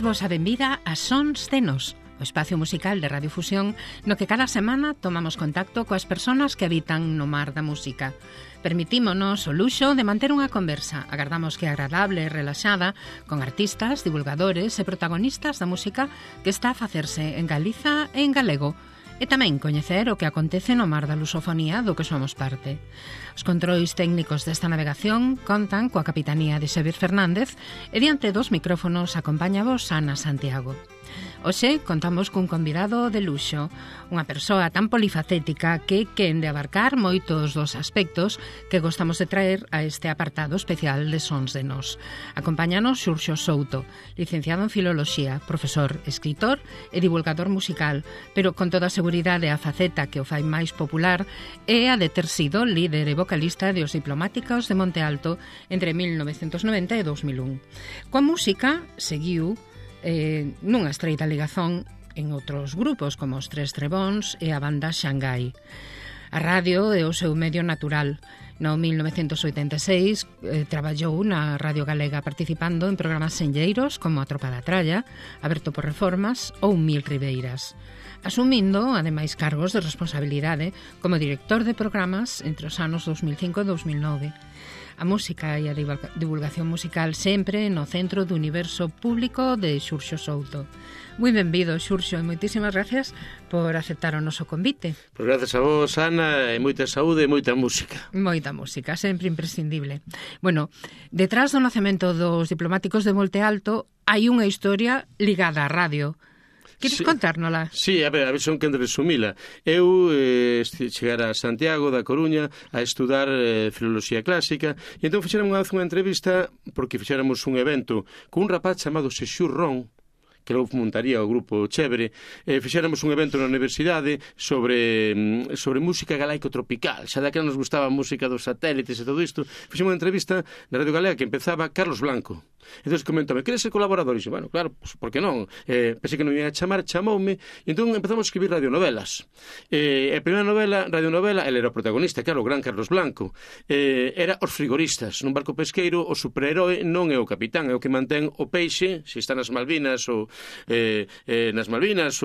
Damos a benvida a Sons de Nos, o espacio musical de Radio Fusión no que cada semana tomamos contacto coas persoas que habitan no mar da música. Permitímonos o luxo de manter unha conversa, agardamos que agradable e relaxada, con artistas, divulgadores e protagonistas da música que está a facerse en Galiza e en galego, e tamén coñecer o que acontece no mar da lusofonía do que somos parte. Os controis técnicos desta navegación contan coa capitanía de Xavier Fernández e diante dos micrófonos acompáñavos Ana Santiago. Hoxe contamos cun convidado de luxo, unha persoa tan polifacética que quen de abarcar moitos dos aspectos que gostamos de traer a este apartado especial de Sons de Nos. Acompáñanos Xurxo Souto, licenciado en Filoloxía, profesor, escritor e divulgador musical, pero con toda a seguridade a faceta que o fai máis popular é a de ter sido líder e vocalista de Os Diplomáticos de Monte Alto entre 1990 e 2001. Coa música seguiu nunha estreita ligazón en outros grupos como os Tres Trebóns e a banda Xangai. A radio é o seu medio natural. No 1986 traballou na Radio Galega participando en programas senlleiros como A Tropa da Tralla, Aberto por Reformas ou Mil Ribeiras, asumindo, ademais, cargos de responsabilidade como director de programas entre os anos 2005 e 2009. A música e a divulgación musical sempre no centro do universo público de Xurxo Souto. Moi benvido, Xurxo, e moitísimas gracias por aceptar o noso convite. Pois gracias a vos, Ana, e moita saúde e moita música. Moita música, sempre imprescindible. Bueno, detrás do nacemento dos Diplomáticos de Monte Alto hai unha historia ligada á radio. Queres contárnola? Sí, a ver son quen de resumila. Eu chegara a Santiago da Coruña a estudar filoloxía clásica e entón fixeron unha entrevista porque fixéramos un evento con un rapaz chamado Xexur Ron, que logo montaría o grupo Chévere, fixéramos un evento na universidade sobre música galaico-tropical. Xa daquela nos gustaba a música dos satélites e todo isto. Fixemos unha entrevista na Radio Galega que empezaba Carlos Blanco. Entón comentóme, queres ser colaborador? E dixo, bueno, claro, pues, por que non? Pensei que non ia chamar, chamoume, e entón empezamos a escribir radionovelas. A primeira novela, radionovela, ele era o protagonista, claro, o gran Carlos Blanco. Era Os Frigoristas. Nun barco pesqueiro, o superheroe non é o capitán, é o que mantén o peixe, se está nas Malvinas ou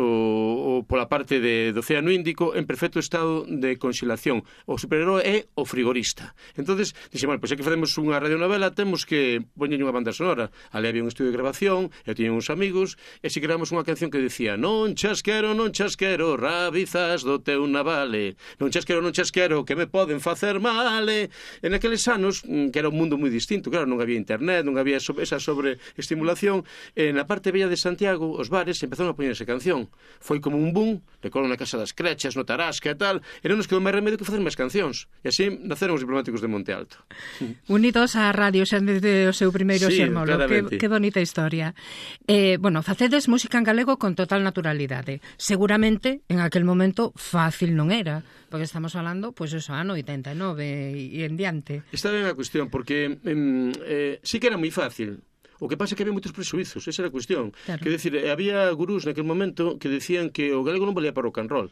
ou pola parte do Océano Índico en perfecto estado de conxelación. O superheroe é o frigorista. Entonces, dixemos, pois é que facemos unha radionovela, temos que poñer unha banda sonora. Ali había un estudio de grabación, eu tiña uns amigos, e si creamos unha canción que decía non chasquero, rabizas do teu navale, non chasquero, que me poden facer male. En aqueles anos, que era un mundo moi distinto, claro, non había internet, non había esa sobreestimulación, na parte bella de Santiago, os bares empezaron a poñer esa canción. Foi como un boom, recordo na Casa das Crechas, no Tarasca e tal, e non nos quedou máis remedio que facer máis cancións. E así naceron os Diplomáticos de Monte Alto. Unidos á radio xa desde o seu primeiro xermolo. Que bonita historia. Bueno, facedes música en galego con total naturalidade. Seguramente, en aquel momento, fácil non era, porque estamos falando, pois eso, ano 89 e en diante. Está ben a cuestión, porque sí que era moi fácil. O que pasa é que había moitos presuizos, esa era a cuestión. Claro. Quer decir, había gurús naquele momento que decían que o galego non valía para o rock and roll,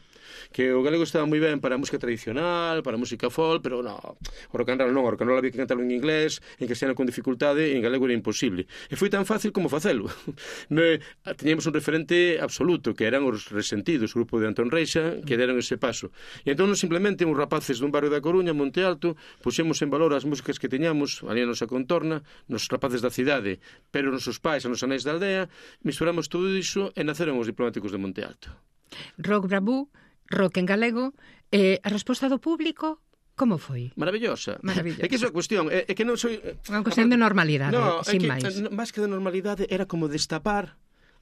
que o galego estaba moi ben para a música tradicional, para a música folk, pero non, o rock and roll non, o rock and roll había que cantarlo en inglés, en castellano con dificultade, e en galego era imposible. E foi tan fácil como facelo. Teníamos un referente absoluto, que eran os Resentidos, o grupo de Antón Reixa, que deron ese paso. E entón, simplemente, uns rapaces dun barrio da Coruña, Monte Alto, puxemos en valor as músicas que teñamos, ali a nosa contorna, nos rapaces da cidade, pero nos seus pais e nos anéis da aldea, misturamos todo iso e naceron os Diplomáticos de Monte Alto. Rock bravú, rock en galego, a resposta do público como foi? Maravillosa. É que iso é a cuestión, é que non soy... Unha cuestión de normalidade, sin máis. Máis que de normalidade era como destapar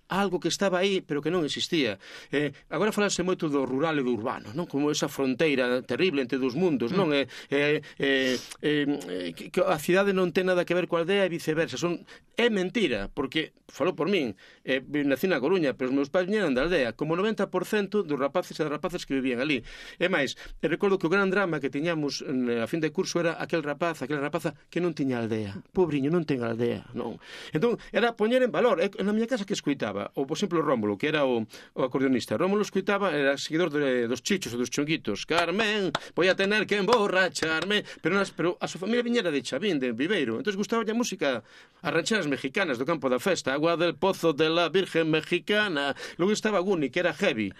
algo que estaba aí, pero que non existía. Agora falase moito do rural e do urbano, non? Como esa fronteira terrible entre dos mundos, non? Que a cidade non ten nada que ver coa aldea e viceversa. É mentira, porque, falou por min, nací na Coruña, pero os meus pais viñeran da aldea, como 90% dos rapaces e das rapaces que vivían ali. E máis, recordo que o gran drama que tiñamos a fin de curso era aquela rapaza que non tiña aldea. Pobriño, non ten aldea, non. Entón, era poñer en valor. Na miña casa que escuitaba escoitaba, ou, por exemplo, Rómulo, que era o acordeonista. Rómulo escoitaba, era seguidor dos chichos e dos chunguitos. Carmen, voy a tener que emborracharme. Pero a súa familia viñera de Chavín, de Viveiro. Entón gustaba a música, as rancheras mexicanas do campo da festa, Agua del Pozo de la Virgen Mexicana. Logo estaba Guni, que era heavy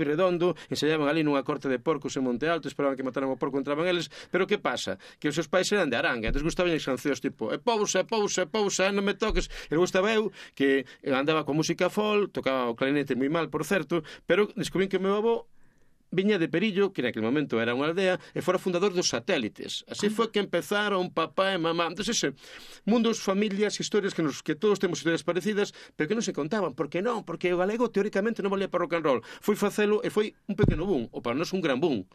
redondo, ensayaban ali nunha corte de porcos en Monte Alto, esperaban que mataran o porco, entraban eles. Pero que pasa? Que os seus pais eran de Aranga, entón gustaban as cancións tipo pousa, non me toques. E logo estaba eu, que andaba con música folk, tocaba o clarinete moi mal, por certo, pero descubrín que o meu avó viña de Perillo, que naquele momento era unha aldea, e fora fundador dos satélites. Así foi que empezaron papá e mamá. Entón, ese mundos, familias, historias que todos temos historias parecidas, pero que non se contaban. Por que non? Porque o galego teóricamente non valía para rock and roll. Foi facelo e foi un pequeno boom, ou para nós un gran boom.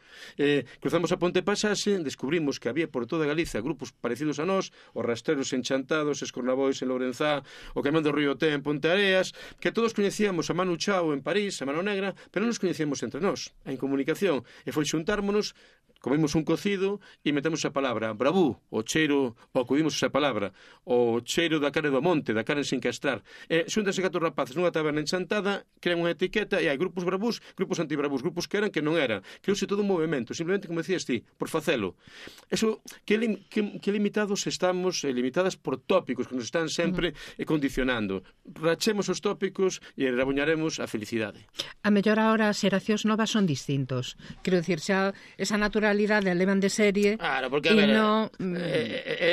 Cruzamos a Ponte Pasaxe, descubrimos que había por toda Galicia grupos parecidos a nós, os Rastreros en Chantados, Escornabois en Lourenzá, o Camión do Río Té en Ponte Areas, que todos coñecíamos a Manu Chao en París, a Mano Negra, pero non nos coñecíamos entre nós. Comunicación, e foi xuntármonos, comemos un cocido e metemos a palabra bravú, o cheiro, ou acudimos esa palabra, o cheiro da carne do monte, da carne sin castrar. Xúntanse 4 rapaces nunha taberna enchantada, crean unha etiqueta e hai grupos bravús, grupos antibravús, grupos que eran, que non eran. Creouse todo un movimento, simplemente, como decías ti, por facelo. Eso, que limitados estamos, limitadas por tópicos que nos están sempre condicionando. Rachemos os tópicos e rabuñaremos a felicidade. A mellor ahora as xeracións novas son distintos. Quero dicir, xa esa naturalidade levan de serie. Claro, porque a ver,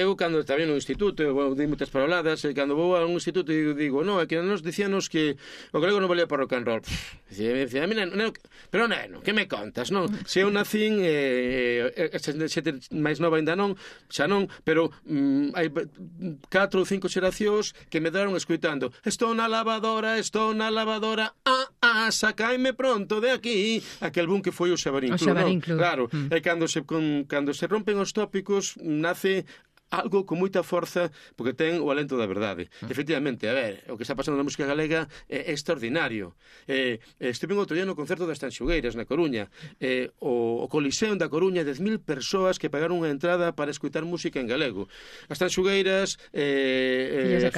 eu cando estaba no instituto, eu dei moitas paroladas, e cando vou a un instituto digo, non, é que nos dicíanos que o galego non valía para rock and roll. Dicía, neno, pero neno, que me contas, non? Se eu nacín, xente máis nova ainda non, xa non, pero hai 4 ou 5 xeracións que me daron escoitando, estou na lavadora, sacaime pronto de aquí, aquel boom que foi o Xabarín Club. Claro, e cando se rompen os tópicos nace algo con moita forza, porque ten o alento da verdade. Efectivamente, a ver, o que está pasando na música galega é extraordinario. Estive outro día no concerto das Tanxugueiras na Coruña. O Coliseo da Coruña, 10.000 persoas que pagaron unha entrada para escutar música en galego. As Tanxugueiras, Filles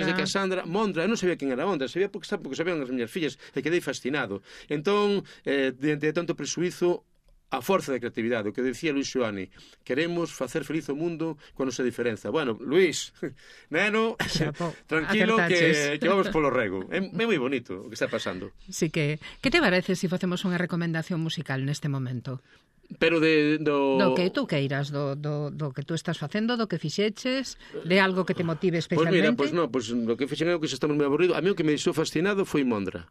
de Casandra, Mondra, eu non sabía quen era Mondra, sabía porque sabían as miñas fillas, e quedei fascinado. Entón, de tanto presuizo, a forza de creatividade, o que decía Luis Xoani, queremos facer feliz o mundo cuando se diferenza. Bueno, Luis, neno, tranquilo que vamos polo rego. É moi bonito o que está pasando. Sí que te parece se facemos unha recomendación musical neste momento? Pero do que tú queiras, do que tú estás facendo, do que fixeches, de algo que te motive especialmente. Pois o que fixen é o que se estamos moi aburrido. A mí o que me deixou fascinado foi Mondra.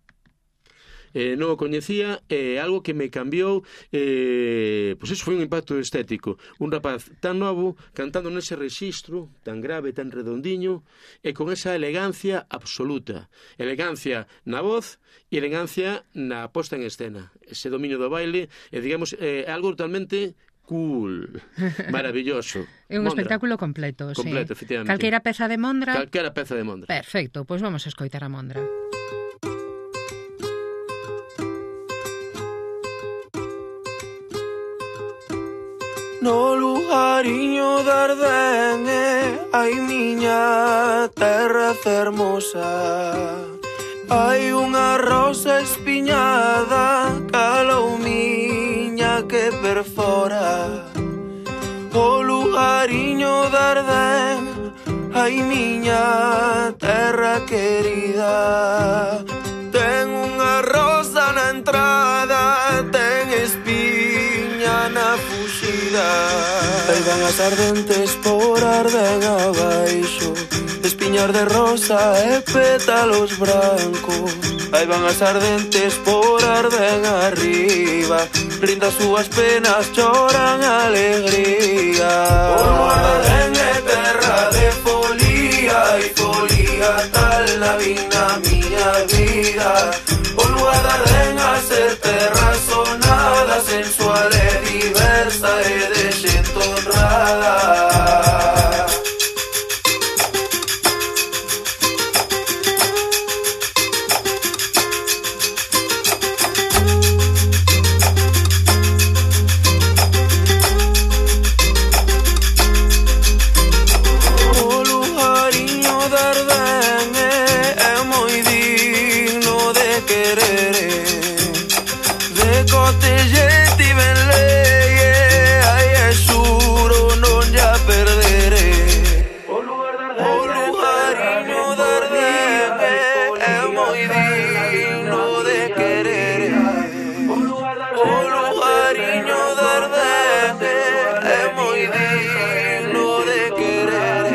Non o coñecía, algo que me cambiou, pois eso foi un impacto estético. Un rapaz tan novo cantando nese rexistro tan grave, tan redondiño, e con esa elegancia absoluta, elegancia na voz e elegancia na posta en escena, ese dominio do baile, digamos, algo totalmente cool, maravilloso. É un espectáculo completo, sí. Completo, efectivamente. Calquera peza de Mondra? Calquera peza de Mondra. Perfecto, pois vamos a escoitar a Mondra. No lugariño de Ardenne, ai miña terra fermosa, hai unha rosa espiñada, calou miña que perfora. O lugariño de Ardenne, ai miña terra querida, ten unha rosa na entrada, ten espiña na fuxida. Aí van as ardentes por Ardén abaixo, espiñar de rosa e pétalos brancos. Aí van as ardentes por Ardén arriba, rindo as súas penas, choran alegría. O Ardén é terra de folía, e folía tal na vida miña vida. O lugar de Ardén a ser terra sonada, sensual e diversa e de xente honrada. O lugariño de Ardén é moi se gente ben leye, ai é xuro non ya perderé. O lugariño de Ardén é moi digno de querer. O lugariño de Ardén é moi digno de querer.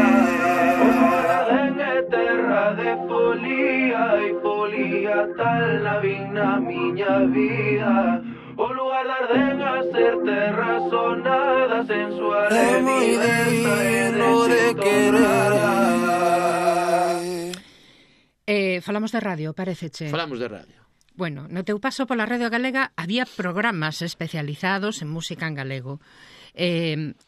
Ardén é terra de folía e folía tal la vin na miña vida. O lugar de Ardén a ser terra sonada sensual é moi digno de querer. Falamos de radio, paréceche? Falamos de radio. Bueno, no teu paso pola Radio Galega había programas especializados en música en galego.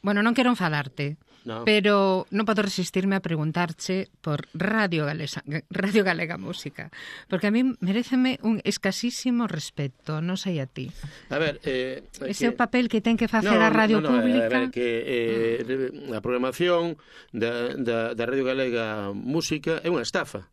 Bueno, non quero enfadarte, no, pero non podo resistirme a preguntarche por Radio Galega Música, porque a mí meréceme un escasísimo respeto, non sei a ti. A ver, ese é o papel que ten que facer a Radio Pública. A ver, que a programación da Radio Galega Música é unha estafa.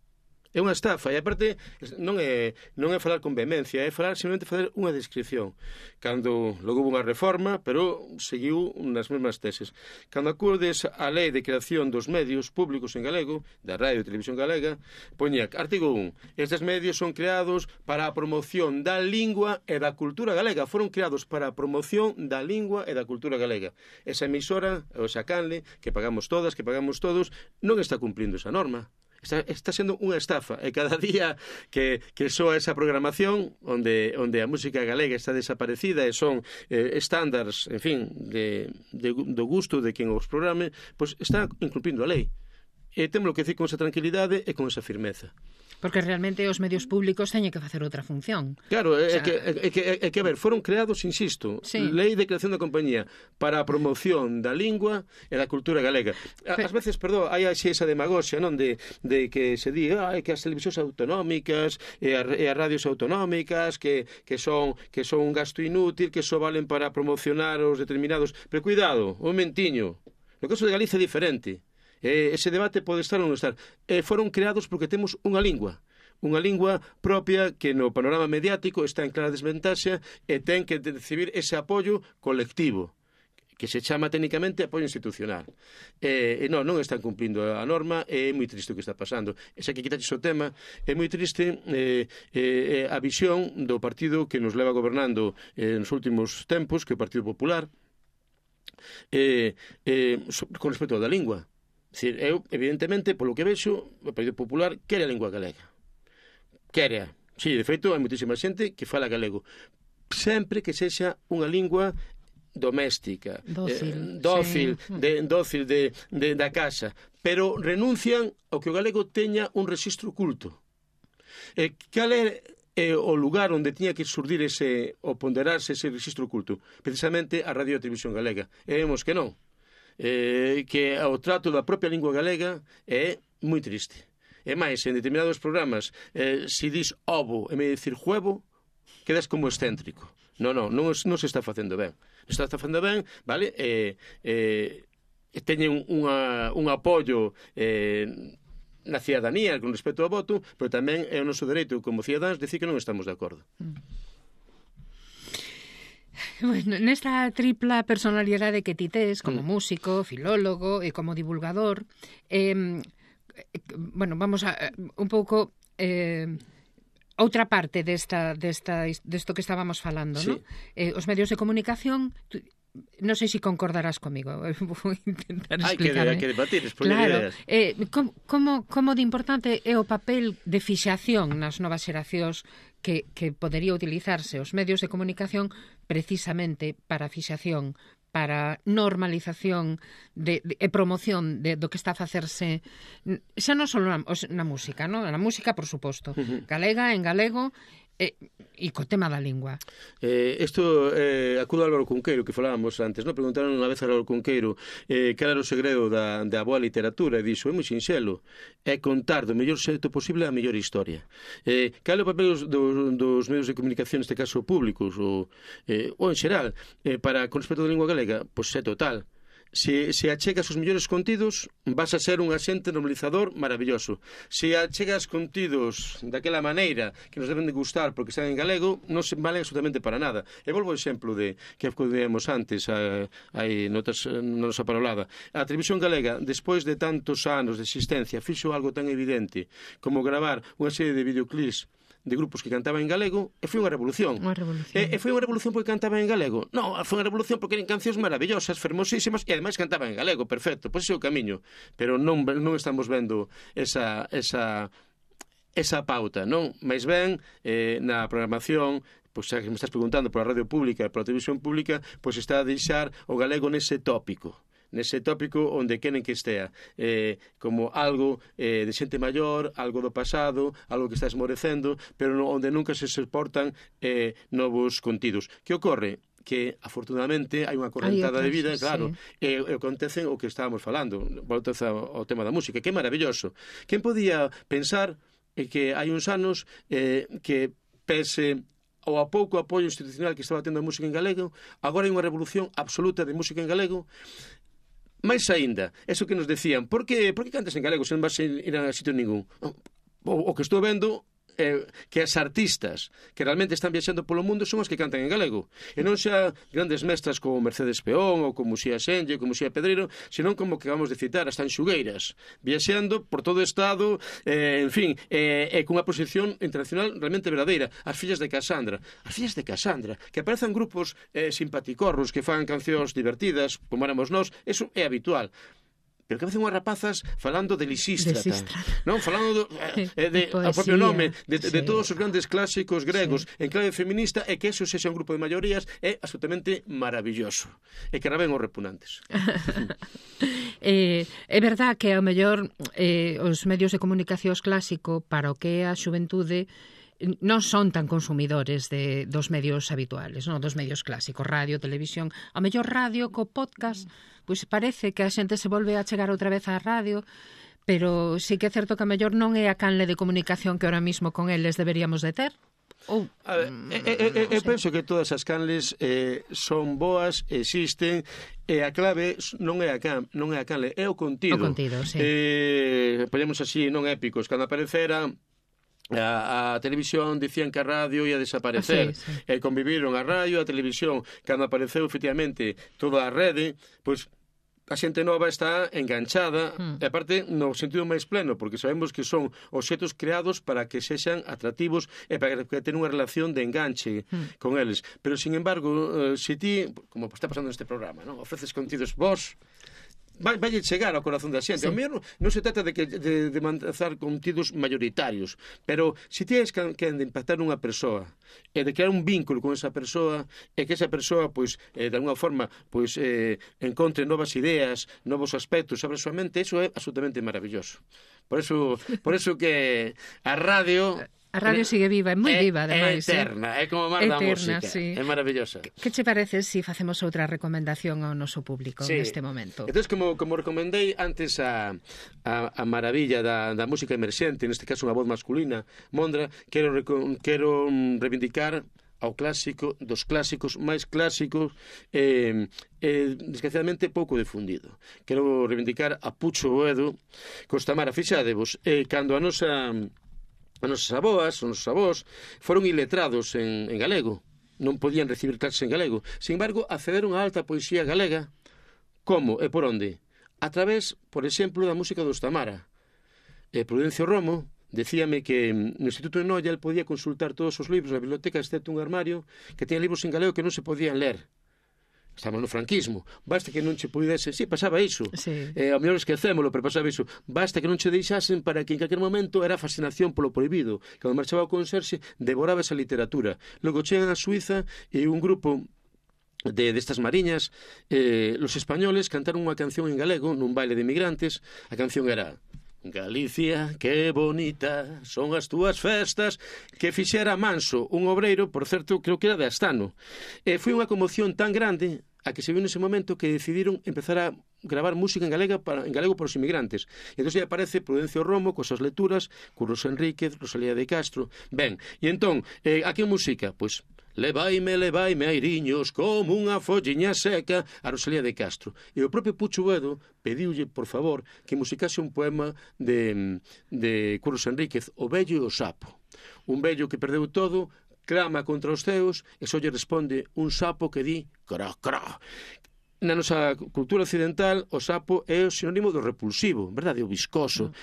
É unha estafa, e aparte non é falar con vehemencia, é falar simplemente fazer unha descripción. Cando logo houve unha reforma, pero seguiu nas mesmas teses. Cando acudes á lei de creación dos medios públicos en galego, da Radio e Televisión Galega, poñía artigo 1. Estes medios son creados para a promoción da lingua e da cultura galega. Foron creados para a promoción da lingua e da cultura galega. Esa emisora, o esa canle, que pagamos todas, que pagamos todos, non está cumplindo esa norma. Está sendo unha estafa, e cada día que soa esa programación onde a música galega está desaparecida e son estándares, en fin, do gusto de quen os programe, pois está incumplindo a lei. E temos que decir con esa tranquilidade e con esa firmeza. Porque realmente os medios públicos teñen que facer outra función. Claro, é que, a ver, foron creados, insisto, sí, lei de creación da compañía para a promoción da lingua e da cultura galega. Ás veces, hai esa demagoxia, non, de que se di que as televisións autonómicas e as radios autonómicas que son un gasto inútil, que só valen para promocionar os determinados. Pero cuidado, un momentiño. No caso de Galicia é diferente. Ese debate pode estar ou non estar. Foron creados porque temos unha lingua propia que no panorama mediático está en clara desventaxa e ten que recibir ese apoio colectivo, que se chama técnicamente apoio institucional. Non están cumplindo a norma, é moi triste o que está pasando. Esa que quitaches o tema, é moi triste a visión do partido que nos leva gobernando nos últimos tempos, que é o Partido Popular, con respecto da lingua. Eu, evidentemente, polo que vexo, o Partido Popular quere a lingua galega. Quere. Sí, de feito, hai moitísima xente que fala galego. Sempre que sexa unha lingua doméstica, dócil, sí, da casa. Pero renuncian ao que o galego teña un rexistro culto. Cal é o lugar onde tiña que surdir ou ponderarse ese rexistro culto? Precisamente a Radio e Televisión Galega. E vemos que non. Que o trato da propia lingua galega é moi triste. E máis, en determinados programas, se dis ovo en vez de dicir huevo, quedas como excéntrico. Non se está facendo ben. Non se está facendo ben, vale? Teñen un apoio na cidadanía con respecto ao voto, pero tamén é o noso dereito como cidadáns decir que non estamos de acordo. Bueno, nesta tripla personalidade que ti tes como músico, filólogo e como divulgador, bueno, vamos a un pouco outra parte desto que estábamos falando, sí, ¿no? Os medios de comunicación, non sei se concordarás comigo, vou intentar explicarme. Hai que debatir, expoñer ideas. Como de importante é o papel de fixación nas novas xeracións que podería utilizarse os medios de comunicación precisamente para fixación, para normalización e promoción do que está a facerse xa non só na música, ¿no? Na música, por suposto, galega, en galego, e co tema da lingua. Isto acudo a Álvaro Cunqueiro, que falábamos antes, non? Preguntaron unha vez a Álvaro Cunqueiro cal era o segredo da boa literatura, e dixo, é moi sinxelo, é contar do mellor xeito posible a mellor historia. Cal é o papel dos medios de comunicación, neste caso públicos ou en xeral, para con respecto da lingua galega? Pois é total. Se achegas os mellores contidos, vas a ser un axente normalizador maravilloso. Se achegas contidos daquela maneira que nos deben de gustar porque están en galego, non se valen absolutamente para nada. E volvo ao exemplo de que acudemos antes aí na nosa parolada. A televisión galega, despois de tantos anos de existencia, fixo algo tan evidente como gravar unha serie de videoclips de grupos que cantaban en galego, e foi unha revolución. E foi unha revolución porque cantaban en galego? Non, foi unha revolución porque eran cancións maravillosas, fermosísimas, e ademais cantaban en galego, perfecto, pois ese é o camiño. Pero non estamos vendo esa pauta, non? Mais ben, na programación, pois xa que me estás preguntando pola radio pública e pola televisión pública, pois está a deixar o galego nese tópico onde queren que estea, como algo de xente maior, algo do pasado, algo que está esmorecendo, pero onde nunca se soportan novos contidos. Que ocorre? Que, afortunadamente, hai unha correntada de vida, claro, e acontecen o que estábamos falando, volta ao tema da música, que é maravilloso. Quen podía pensar que hai uns anos que pese ao a pouco apoio institucional que estaba tendo a música en galego, agora hai unha revolución absoluta de música en galego. Mais aínda, eso que nos decían, por que cantas en galego se non vas a ir a sitio ningún? O que estou vendo que as artistas que realmente están viaxando polo mundo son as que cantan en galego, e non xa grandes mestras como Mercedes Peón ou como Xía Senlle ou como Xía Pedreiro, senón como que vamos de citar as tanxugueiras, viaxando por todo o estado, en fin, con unha posición internacional realmente verdadeira. As fillas de Casandra, que aparecen grupos simpaticorros que fan cancións divertidas como éramos nós, eso é habitual. Pero que facen unhas rapazas falando de Lisístrata, non? Falando ao propio nome de todos os grandes clásicos gregos en clave feminista, e que eso sexa un grupo de maiorías é absolutamente maravilloso, e que raben os repugnantes. É verdad que ao mellor os medios de comunicación clásico para o que é a xuventude non son tan consumidores dos medios habituales, non? Dos medios clásicos, radio, televisión. Ao mellor radio co podcast, pois parece que a xente se volve a chegar outra vez á radio, pero sí que é certo que a mellor non é a canle de comunicación que ahora mismo con eles deberíamos de ter. Eu penso que todas as canles son boas, existen, e a clave non é a canle, é o contido. O contido, sí. Ponemos así, non épicos, cando aparecera a televisión dicían que a radio ia desaparecer, e conviviron a radio, a televisión. Cando apareceu efectivamente toda a rede, pois a xente nova está enganchada, e aparte no sentido máis pleno, porque sabemos que son obxetos creados para que sexan atractivos e para que tener unha relación de enganche con eles. Pero, sin embargo, se ti, como está pasando neste programa, non ofreces contidos vos, vai chegar ao corazón da xente. O mellor non se trata de manzar contidos mayoritarios, pero se tienes que impactar nunha persoa e de crear un vínculo con esa persoa, e que esa persoa, pois, de alguna forma, pois, encontre novas ideas, novos aspectos sobre a súa mente, eso é absolutamente maravilloso. Por eso que a radio... A radio sigue viva, é moi viva, ademais. É eterna, é como mar da música, sí. É maravillosa. Que che parece se facemos outra recomendación ao noso público neste momento? Entón, como recomendei antes a maravilla da música emerxente, neste caso unha voz masculina, Mondra, quero reivindicar ao clásico dos clásicos máis clásicos, desgraciadamente pouco difundido. Quero reivindicar a Pucho Boedo, Costamara. Fixadevos, cando as nosas aboas, os nosos avós, foron iletrados en galego. Non podían recibir clases en galego. Sin embargo, accederon á alta poesía galega. Como e por onde? A través, por exemplo, da música dos Tamara. Prudencio Romo decíame que no Instituto de Noia el podía consultar todos os libros na biblioteca, excepto un armario que tenía libros en galego que non se podían ler. Estamos no franquismo, basta que non che pudese, pasaba iso, ao mellor esquecémolo, pero pasaba iso, basta que non che deixasen para que en calquer momento era fascinación polo prohibido. Cando marchaba o conserxe, devoraba esa literatura. Logo chegan a Suiza e un grupo destas mariñas, los españoles cantaron unha canción en galego nun baile de migrantes. A canción era: Galicia, que bonita son as túas festas, que fixera Manso, un obreiro, por certo, creo que era de Astano. Foi unha conmoción tan grande a que se viu nese momento que decidiron empezar a gravar música en galego para os inmigrantes. E entón aí aparece Prudencio Romo coas súas lecturas, Curros Enríquez, Rosalía de Castro. Ben, e entón, a que música? Pois Levaime, airiños, como unha folliña seca, a Rosalía de Castro. E o propio Pucho Boedo pediulle, por favor, que musicase un poema de Curros Enríquez, O vello e o sapo. Un vello que perdeu todo, clama contra os ceos, e só lle responde un sapo que di cro, cro. Na nosa cultura occidental, o sapo é o sinónimo do repulsivo, verdade? O viscoso.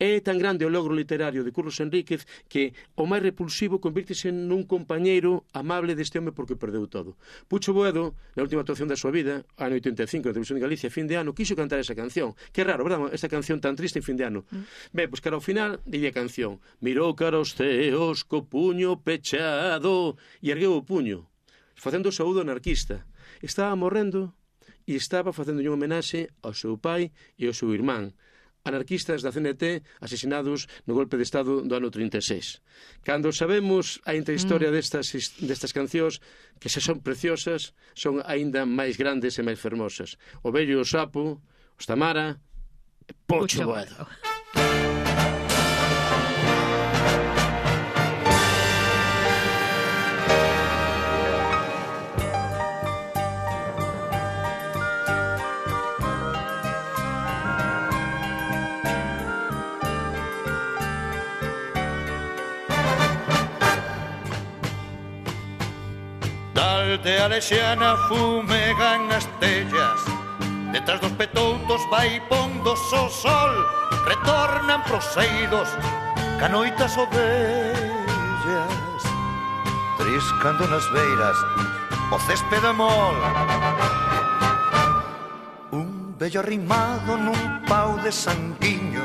É tan grande o logro literario de Curros Enríquez que o máis repulsivo convírtese nun compañeiro amable deste home porque perdeu todo. Pucho Boedo, na última actuación da súa vida, ano 85, na Televisión de Galicia, fin de ano, quiso cantar esa canción. Que raro, verdade? Esta canción tan triste en fin de ano. Ben, pois cara ao final, dille a canción. Mirou cara aos ceos co puño pechado e ergueu o puño, facendo o saúdo anarquista. Estaba morrendo e estaba facendo unha homenaxe ao seu pai e ao seu irmán, anarquistas da CNT asesinados no golpe de Estado do ano 36. Cando sabemos a intrahistoria destas cancións, que se son preciosas, son aínda máis grandes e máis fermosas. O vello e o sapo, os Tamara, Pucho Boedo. De Alexiana fumegan as tellas, detrás dos petoutos vai pondo o sol, retornan proseiros, canoitas ovellas, triscando nas beiras o céspede mol. Un vello arrimado nun pau de sanguiño,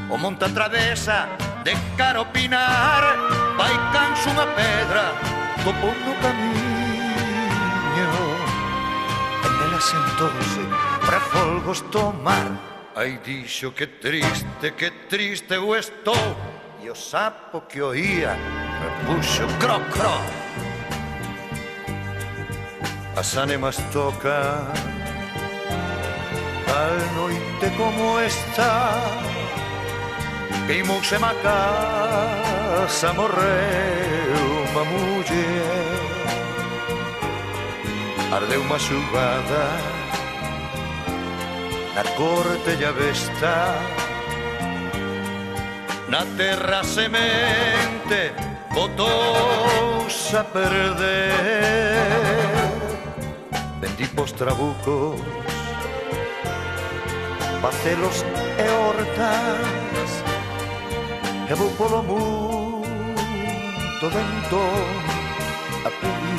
o monte atravesa de cara ao pinar, vai canso unha pedra, topou no camiño. Sentóse para folgos tomar. Ai, dixo que triste eu estou. E o sapo que oía repuxo cro, cro. As ánimas tocan tal noite como esta. Queimouse má casa, morreu unha muller. Ardeu unha xugada na corte e a besta, na terra semente botouse a perder. Vendí pos trabucos, pacelos e hortas, e vou polo mundo vento a pedir.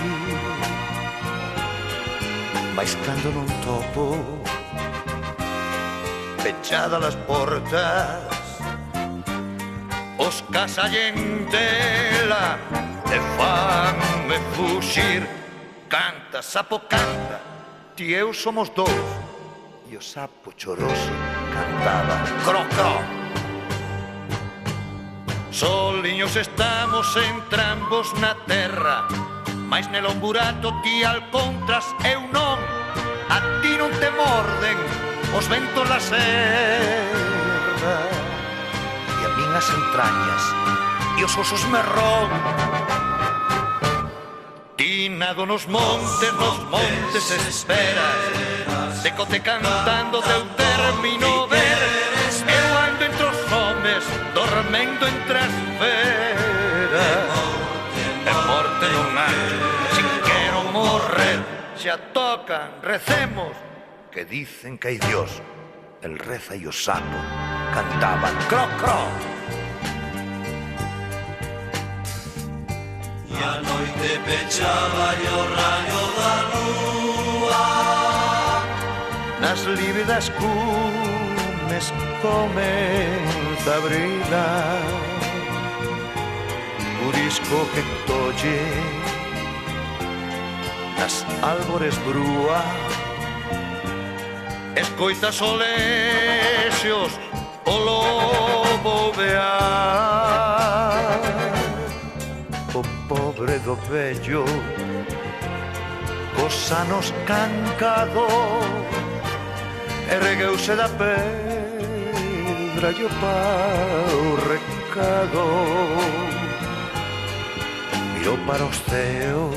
Mais cando non topo pechadas as portas, os casallen dela e fanme fuxir. Canta, sapo, canta, ti eu somos dous. E o sapo choroso cantaba cro, cro. Soliños estamos entrambos na terra, mais nel un burato ti alcontras eu non. A ti non te morden os ventos da serra, e a min as entrañas e os osos me ron. Ti nado nos montes esperas, decote cantando teu término ver. Eu ando entre os homes, dormendo entre as feras, e morte non hai. Xa tocan, recemos, que dicen que hai Dios. El reza e o sapo cantaban cro, cro. E a noite pechaba e o rayo da lúa nas lívidas cumes comeza a brillar. Purisco que tolle nas árbores brúa, escoita solexios o lobo vear. O pobre do vello cos anos cancado ergueuse da pedra e o pau recado. mirou para os ceos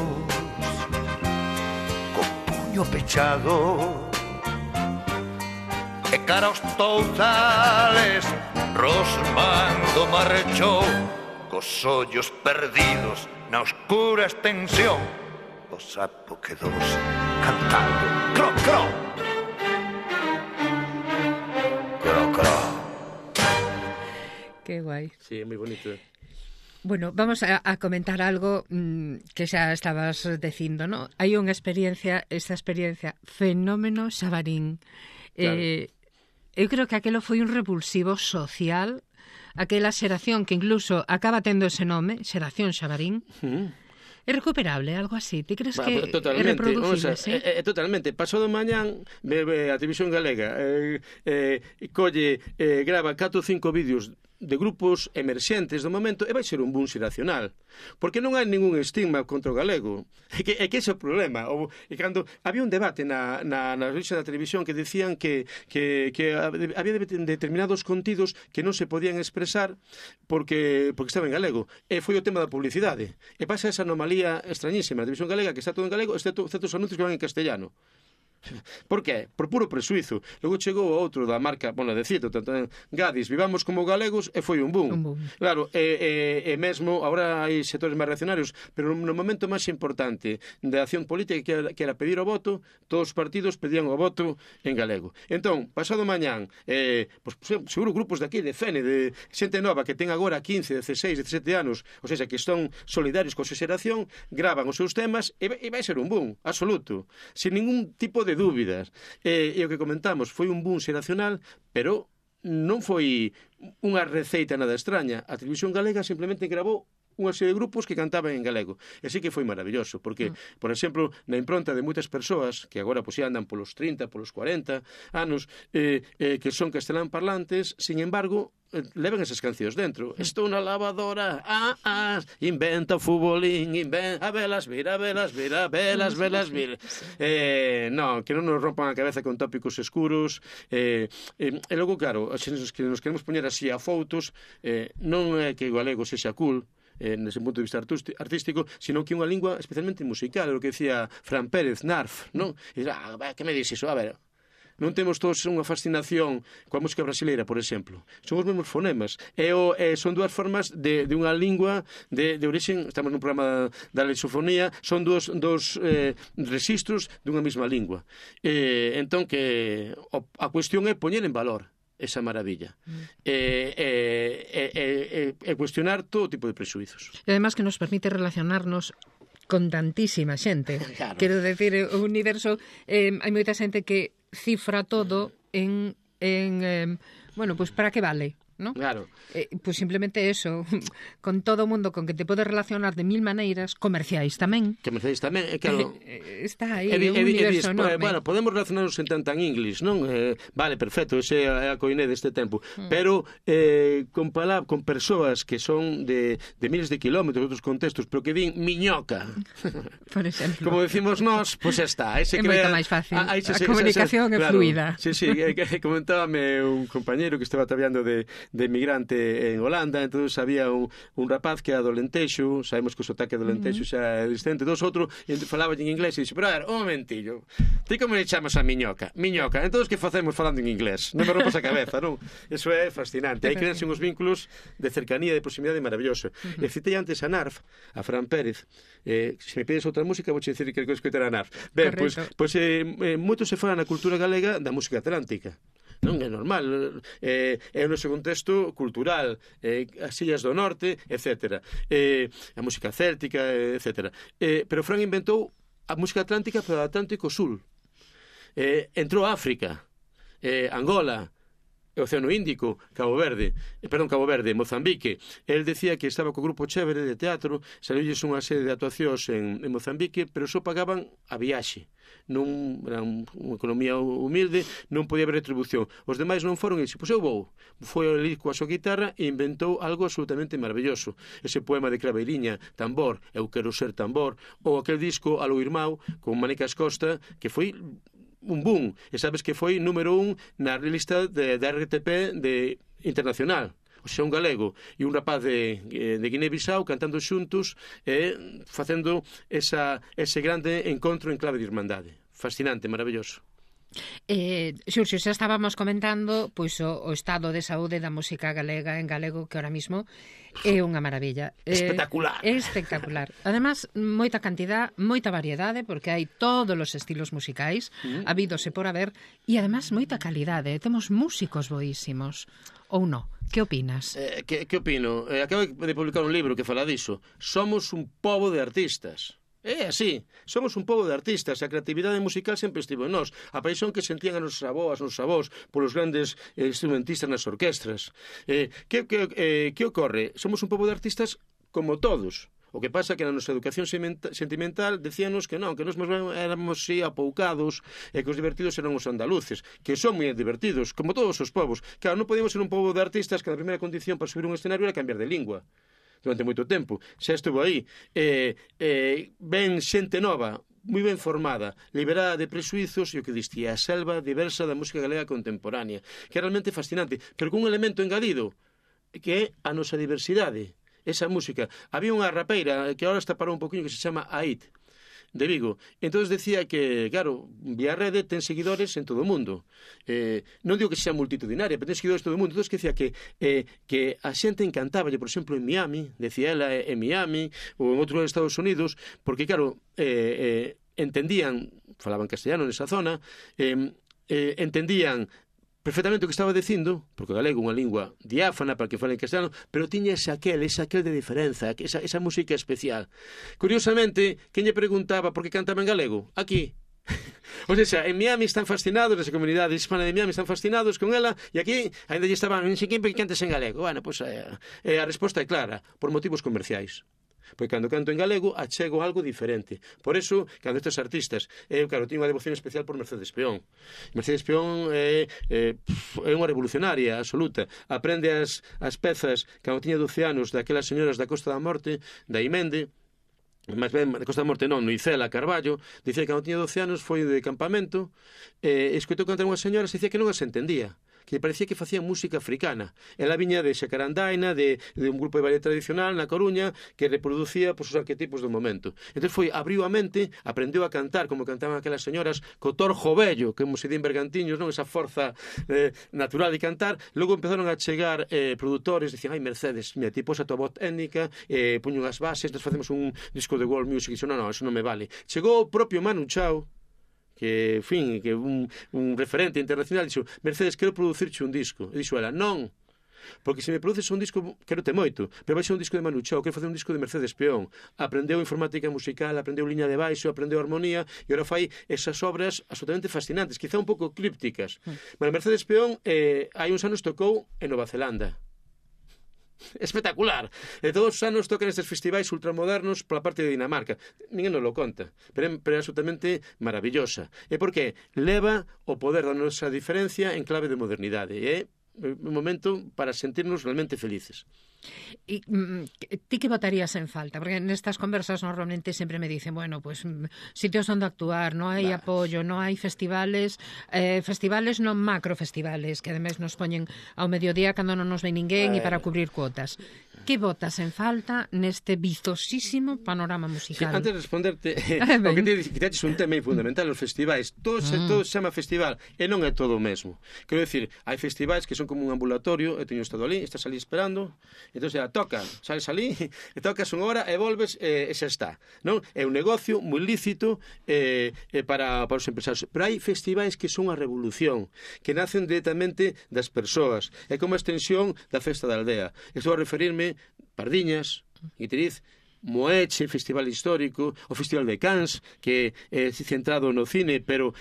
co puño pechado e cara aos touzales Rosmando marchou cos ollos perdidos na oscura extensión. O sapo quedouse cantando cro, cro, cro, cro. Que guai. Sí, é moi bonito. Bueno, vamos a comentar algo que xa estabas dicindo, ¿no? Hai unha experiencia, esta experiencia fenómeno Xabarín. Claro. Eu creo que aquelo foi un revulsivo social, aquela xeración que incluso acaba tendo ese nome, xeración Xabarín. É recuperable, algo así? Ti crees que é reproducible? Sí? Totalmente. Pasado mañán, a Televisión Galega colle, grava 4 ou 5 vídeos de grupos emerxentes do momento e vai ser un boom xeracional. Porque non hai ningún estigma contra o galego. É que ese é o problema. E cando había un debate na revista da televisión que decían que había determinados contidos que non se podían expresar porque estaba en galego. E foi o tema da publicidade. E pasa esa anomalía extrañísima. A televisión galega que está todo en galego, excepto os anuncios que van en castellano. Por qué? Por puro presuizo. Logo chegou outro da marca, bueno, de cito, Gadis, vivamos como galegos, e foi un boom. Claro, e mesmo, agora hai sectores máis reaccionarios, pero no momento máis importante da acción política que era pedir o voto, todos os partidos pedían o voto en galego. Entón, pasado mañán, pues, seguro grupos de aquí, de Fene, de xente nova que ten agora 15, 16, 17 anos, ou seja, que están solidarios coa súa xeración, gravan os seus temas e vai ser un boom, absoluto, sin ningún tipo de dúbidas. E o que comentamos foi un boom xeracional, pero non foi unha receita nada extraña. A Televisión Galega simplemente gravou unha serie de grupos que cantaban en galego. E sí que foi maravilloso, porque, por exemplo, na impronta de moitas persoas que agora pues, andan polos 30, polos 40 anos, que son castelán parlantes, sin embargo, levan esas cancións dentro. Estou na lavadora, inventa o futbolín, a velas vir, a velas vir, a velas vir. Non, que non nos rompan a cabeza con tópicos escuros. E logo, claro, se nos queremos poñer así a fotos, non é que o galego sexa cool, nese punto de vista artístico, sino que é unha lingua especialmente musical, o que decía Fran Pérez, Narf, non? E que me dis iso? A ver, non temos todos unha fascinación coa música brasileira, por exemplo. Son os mesmos fonemas. Son dúas formas de unha lingua de orixen, estamos nun programa da lusofonía, son dos registros dunha mesma lingua. Entón, que a cuestión é poñer en valor esa maravilla e cuestionar todo tipo de presuizos. E además que nos permite relacionarnos con tantísima xente. Claro. Quero decir, o universo, hai moita xente que cifra todo en bueno, pues para que vale, ¿no? Claro. Pues simplemente eso, con todo o mundo con que te podes relacionar de mil maneiras, comerciais tamén. Comerciais tamén, claro. Está aí, un universo enorme. Bueno, podemos relacionarnos en tan inglés, non? Vale, perfecto, ese é a coiné deste tempo. Pero con persoas que son de miles de kilómetros, outros contextos, pero que din miñoca. Por exemplo. Como decimos nós, pois está. É moito máis fácil. A comunicación é fluida. Sí, comentábame un compañeiro que estaba traballando de migrante en Holanda, entonces había un rapaz que era do Lentexo, sabemos que o sotaque do Lentexo xa é distinto dos outros, e falaba en inglés e dixo, pero a ver, un momentillo, ti como le chamas a miñoca? Miñoca, entonces que facemos falando en inglés? Non me rompas a cabeza, non? Eso é fascinante, hai crearse uns vínculos de cercanía, de proximidade maravilloso. E citei antes a Narf, a Fran Pérez, se me pides outra música vou dicir que escoitar a Narf. Ben, pois moito se fala na cultura galega da música atlántica. Non é normal, é o noso contexto cultural, as illas do norte, etc. A música céltica, etc. Pero Fran inventou a música atlántica para o Atlántico Sul. Entrou a África, Angola, o Océano Índico, Cabo Verde, Mozambique. El decía que estaba co grupo Chévere de teatro, saliulles unha serie de actuacións en Mozambique, pero só pagaban a viaxe. Non era unha economía humilde, non podía haber retribución. Os demais non foron e dixo, pois eu vou. Foi ali coa súa guitarra e inventou algo absolutamente maravilloso. Ese poema de Claveiriña, Tambor, eu quero ser tambor, ou aquel disco Aló Irmão, con Manicas Costa, que foi un boom, e sabes que foi número 1 na lista da RTP internacional. o sea, un galego e un rapaz de Guinea-Bissau cantando xuntos e facendo ese grande encontro en clave de irmandade. Fascinante, maravilloso. Xurxo, xa estábamos comentando pois o estado de saúde da música galega en galego, que ahora mismo é unha maravilla. Espectacular. É espectacular. Además, moita cantidad, moita variedade, porque hai todos os estilos musicais, habidos e por haber, e además moita calidade. Temos músicos boísimos. Ou non? Que opinas? Que opino? Acabo de publicar un libro que fala diso. Somos un pobo de artistas. É así, somos un pobo de artistas, a creatividade musical sempre estivo en nós, a paixón que sentían as nosas avós polos grandes instrumentistas nas orquestras. Que ocorre? Somos un pobo de artistas como todos. O que pasa que na nosa educación sentimental decíanos que non, que nós éramos así apoucados e que os divertidos eran os andaluces, que son moi divertidos, como todos os povos. Claro, non podíamos ser un pobo de artistas que a primeira condición para subir un escenario era cambiar de lingua. Durante moito tempo, xa estuvo aí, ben xente nova, moi ben formada, liberada de presuizos, e o que distía a selva diversa da música galega contemporánea, que é realmente fascinante, pero con un elemento engadido, que é a nosa diversidade, esa música. Había unha rapeira que agora está parou un poquinho, que se chama Aid, de Vigo. Entón decía que, claro, vía rede ten seguidores en todo o mundo. Non digo que sea multitudinaria, pero ten seguidores en todo o mundo. Entón decía que a xente encantaba, por exemplo, en Miami, decía ela, en Miami, ou en outros Estados Unidos, porque, claro, entendían, falaban castellano nesa zona, entendían perfectamente o que estaba dicindo, porque o galego é unha lingua diáfana para que fale en castellano, pero tiña ese aquel de diferenza, esa música especial. Curiosamente, quen lle preguntaba por que cantaba en galego? Aquí. O sea, en Miami están fascinados, nesa comunidade hispana de Miami están fascinados con ela, e aquí ainda lle estaban, en Siquín, porque cantes en galego. Bueno, pois a resposta é clara, por motivos comerciais. Porque cando canto en galego achego algo diferente. Por eso, cando estes artistas, claro, teño unha devoción especial por Mercedes Peón. Mercedes Peón é unha revolucionaria absoluta. Aprende as pezas cando tiña 12 anos daquelas señoras da Costa da Morte, da Imende, máis ben, da Costa da Morte non, Noicela Carballo, dicía que cando tiña 12 anos foi de campamento, escoitou cantar unhas señoras e dicía que non as entendía, que parecía que facían música africana. Ela viña de Xacarandaina, de un grupo de ballet tradicional na Coruña, que reproducía os arquetipos do momento. Entón abriu a mente, aprendeu a cantar como cantaban aquelas señoras, co torjo vello, que se di en Bergantiños, non, esa forza natural de cantar. Logo empezaron a chegar produtores, dicían, ai Mercedes, mira, ti pos a tua voz étnica, poño unhas bases, nos facemos un disco de world music, e dixo, non, eso non me vale. Chegou o propio Manu Chao, que, en fin, que un referente internacional, dixo, Mercedes, quero producirche un disco. E dixo ela, non, porque se me produces un disco, quero te moito, pero vai ser un disco de Manu Chao, quero facer un disco de Mercedes Peón. Aprendeu informática musical, aprendeu liña de baixo, aprendeu armonía, e agora fai esas obras absolutamente fascinantes, quizá un pouco crípticas. Pero Mercedes Peón hai uns anos tocou en Nova Zelanda. Espectacular. E todos os anos tocan estes festivais ultramodernos pola parte de Dinamarca. Ninguén nos lo conta, pero é absolutamente maravillosa. E porque leva o poder da nosa diferencia en clave de modernidade. E é un momento para sentirnos realmente felices. E ti que votarías en falta? Porque nestas conversas normalmente sempre me dicen, bueno, pues sitios onde actuar, non hai apoio, non hai festivales, festivales non macrofestivales, que ademais nos poñen ao mediodía cando non nos ve ninguén e para cubrir cuotas. Que votas en falta neste vistosísimo panorama musical? Sí, antes de responderte, o que te quitaches un tema fundamental, os festivais, todo se chama festival, e non é todo o mesmo. Quero dicir, hai festivais que son como un ambulatorio, eu teño estado ali, estás ali esperando, entón xa toca, sales ali, e tocas unha hora e volves e xa está, non? É un negocio moi lícito para os empresarios, pero hai festivais que son a revolución, que nacen directamente das persoas, é como a extensión da festa da aldea. Estou a referirme Pardiñas, Guiteriz, Moeche, Festival Histórico, o Festival de Cans, que é centrado no cine, pero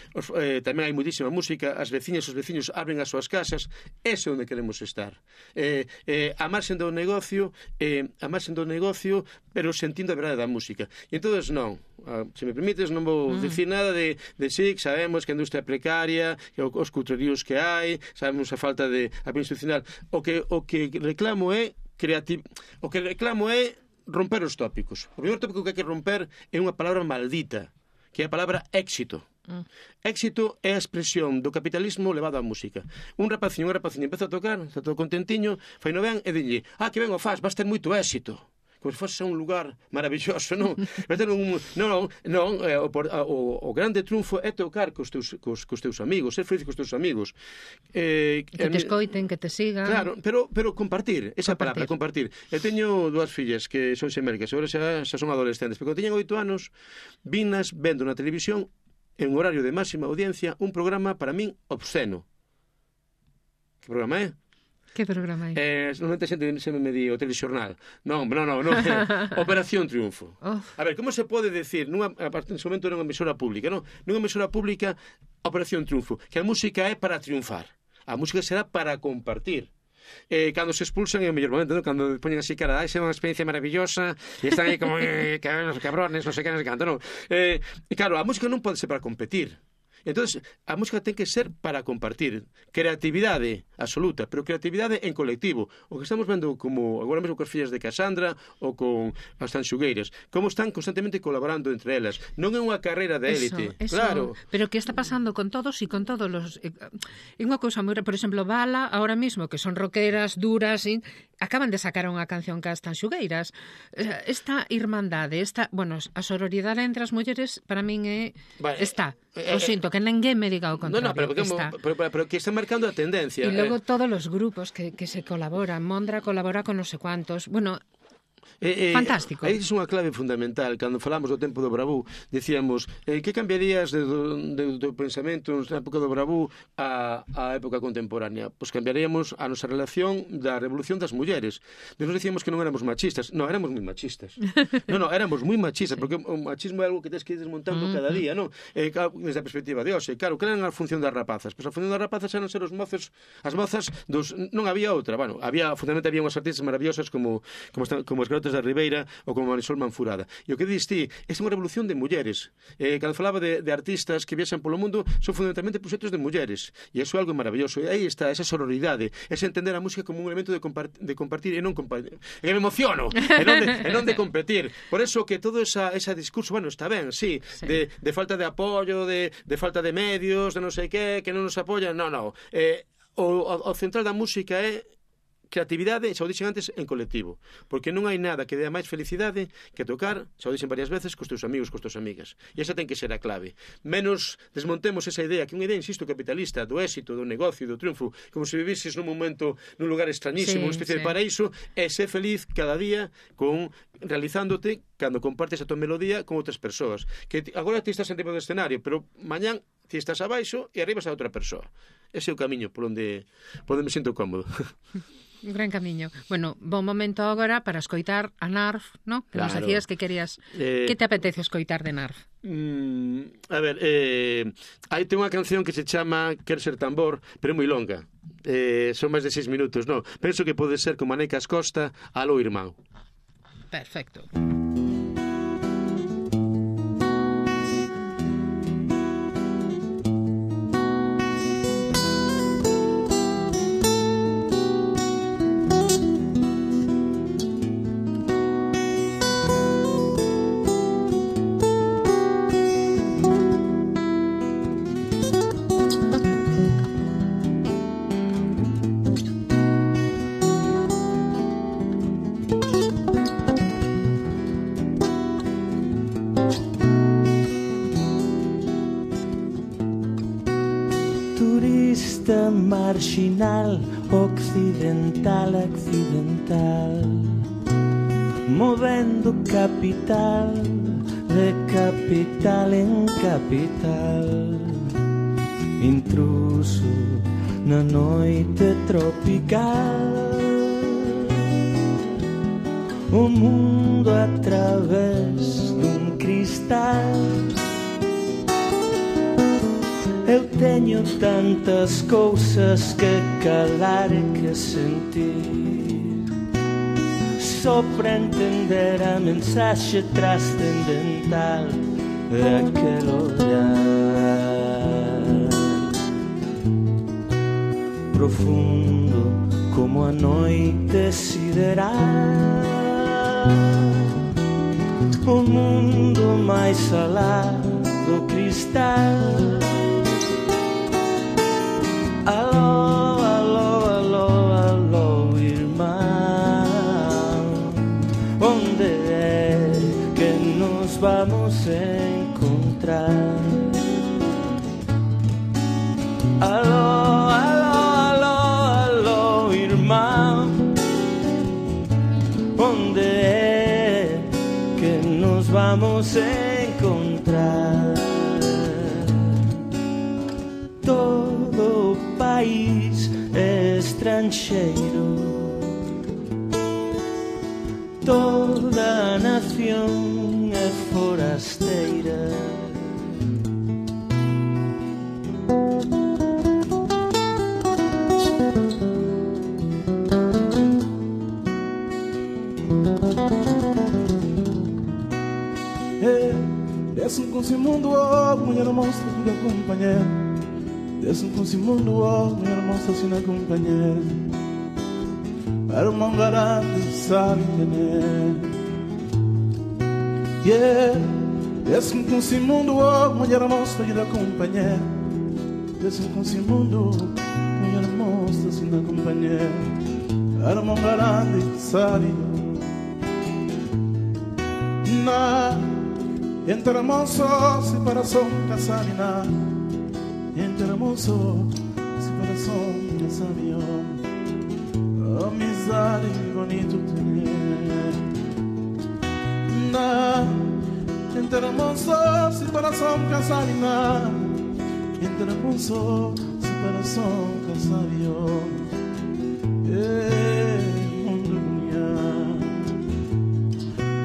tamén hai moitísima música, as veciñas e os veciños abren as súas casas, ese é onde queremos estar. A marxen do negocio, pero sentindo a verdade da música. E entón non, se me permites, non vou dicir nada de sí, sabemos que a industria é precaria, os cutreríos que hai, sabemos a falta de apoio institucional. O que reclamo é romper os tópicos. O primeiro tópico que hai que romper é unha palabra maldita, que é a palabra éxito. Éxito é a expresión do capitalismo levado á música. Un rapaciño empeza a tocar, está todo contentiño, fai no ben e dille, que ben o faz, vas ter moito éxito. Como se fose un lugar maravilloso, non? O grande triunfo é tocar cos teus amigos, ser feliz cos teus amigos. Que te escoiten, que te sigan. Claro, pero compartir, esa palabra, compartir. Eu teño dúas fillas que son xemelgas, agora xa son adolescentes, pero cando teñen 8 anos, vinas vendo na televisión, en horario de máxima audiencia, un programa para min obsceno. Que programa é? Que programa é? Normalmente a xente se me di o telexornal. Non. Operación Triunfo. A ver, como se pode decir, nese momento era unha emisora pública, non? Nunha emisora pública, Operación Triunfo, que a música é para triunfar. A música será para compartir. Cando se expulsan é o mellor momento, non? Cando poñen así cara, é unha experiencia maravillosa e están aí como cabrones, non sei que nos cantan, non? Claro, a música non pode ser para competir. Entonces, a música ten que ser para compartir. Creatividade absoluta, pero creatividade en colectivo. O que estamos vendo como agora mesmo cos fillas de Casandra ou con as tanxugueiras, como están constantemente colaborando entre elas. Non é unha carreira de élite. Claro. Pero que está pasando con todos e con todos los... É unha cousa moi... Por exemplo, Bala, ahora mismo, que son rockeras, duras, acaban de sacar unha canción cas tanxugueiras. Esta irmandade, a sororidade entre as mulleres, para min está. O sinto, que ninguén me diga o contrario. Pero que está marcando a tendencia. E logo todos os grupos que se colaboran. Mondra colabora con non sei cuantos. Fantástico. Aí é unha clave fundamental. Cando falamos do tempo do Bravú, dicíamos, que cambiarías do pensamento na época do Bravú á época contemporánea? Pois cambiaríamos a nosa relación da revolución das mulleres. Nos dicíamos que non éramos machistas. Non, éramos moi machistas. Éramos moi machistas, porque o machismo é algo que tens que ir desmontando cada día, non? Desde a perspectiva de hoxe. Claro, que era a función das rapazas? Pois a función das rapazas eran ser os mozos, as mozas non había outra. Fundamentalmente había unhas artistas maravillosas como as garotas da Ribeira ou como Marisol Manfurada. E o que dís ti, é unha revolución de mulleres. Cando falaba de artistas que viaxan polo mundo, son fundamentalmente proxectos de mulleres. E iso é algo maravilloso. E aí está esa sororidade, ese entender a música como un elemento de compartir e non compartir. E me emociono, e non de competir. Por eso que todo ese discurso, está ben, sí. De falta de apoio, de falta de medios, de non sei que non nos apoian. Non. O central da música é creatividade, xa o dixen antes, en colectivo. Porque non hai nada que dea máis felicidade que tocar, xa o dixen varias veces, cos teus amigos, cos teus amigas. E esa ten que ser a clave. Menos desmontemos esa idea, que unha idea, insisto, capitalista, do éxito, do negocio, do triunfo, como se vivises nun momento, nun lugar extrañísimo, unha especie de paraíso, e ser feliz cada día realizándote cando compartes a tua melodía con outras persoas. Que agora ti estás en riba do escenario, pero mañán ti estás abaixo e arriba está outra persoa. Ese é o camiño por onde me sinto cómodo. Un gran camiño. Bon momento agora para escoitar a Narf, ¿no? Que nos decías que querías... Que te apetece escoitar de Narf? A ver, aí ten unha canción que se chama Quero ser tambor, pero é moi longa. Son máis de 6 minutos, non? Penso que pode ser como Anecas Costa, Aló, irmán. Perfecto. Marginal, occidental, movendo capital, de capital en capital, intruso na noite tropical, o mundo a través dun cristal. Eu teño tantas cousas que calar e que sentir, só para entender a mensaxe trascendental daquele olhar profundo como a noite sideral. O mundo máis alá do cristal cristal. Aló, aló, aló, aló, irmão, onde é que nos vamos encontrar? Aló, aló, aló, aló, irmão, onde é que nos vamos encontrar? Todo país é estrangeiro, toda nación é forasteira. Desce com esse mundo, oh, mulher monstra, filha companheira. Desce com esse mundo, oh, mulher monstra, sina companheira. Para o mangarante, sabe entender. Yeah. Desce com esse mundo, oh, mulher monstra, filha companheira. Desce com esse mundo, mulher monstra, sina companheira. Para o mangarante, sabe. Na entre hermoso, separação, casarina. Entre hermoso, separação, casarina. Amizade, bonito ter. Na entre hermoso, separação, casarina. Entre hermoso, separação, casarina. Mundo bonito.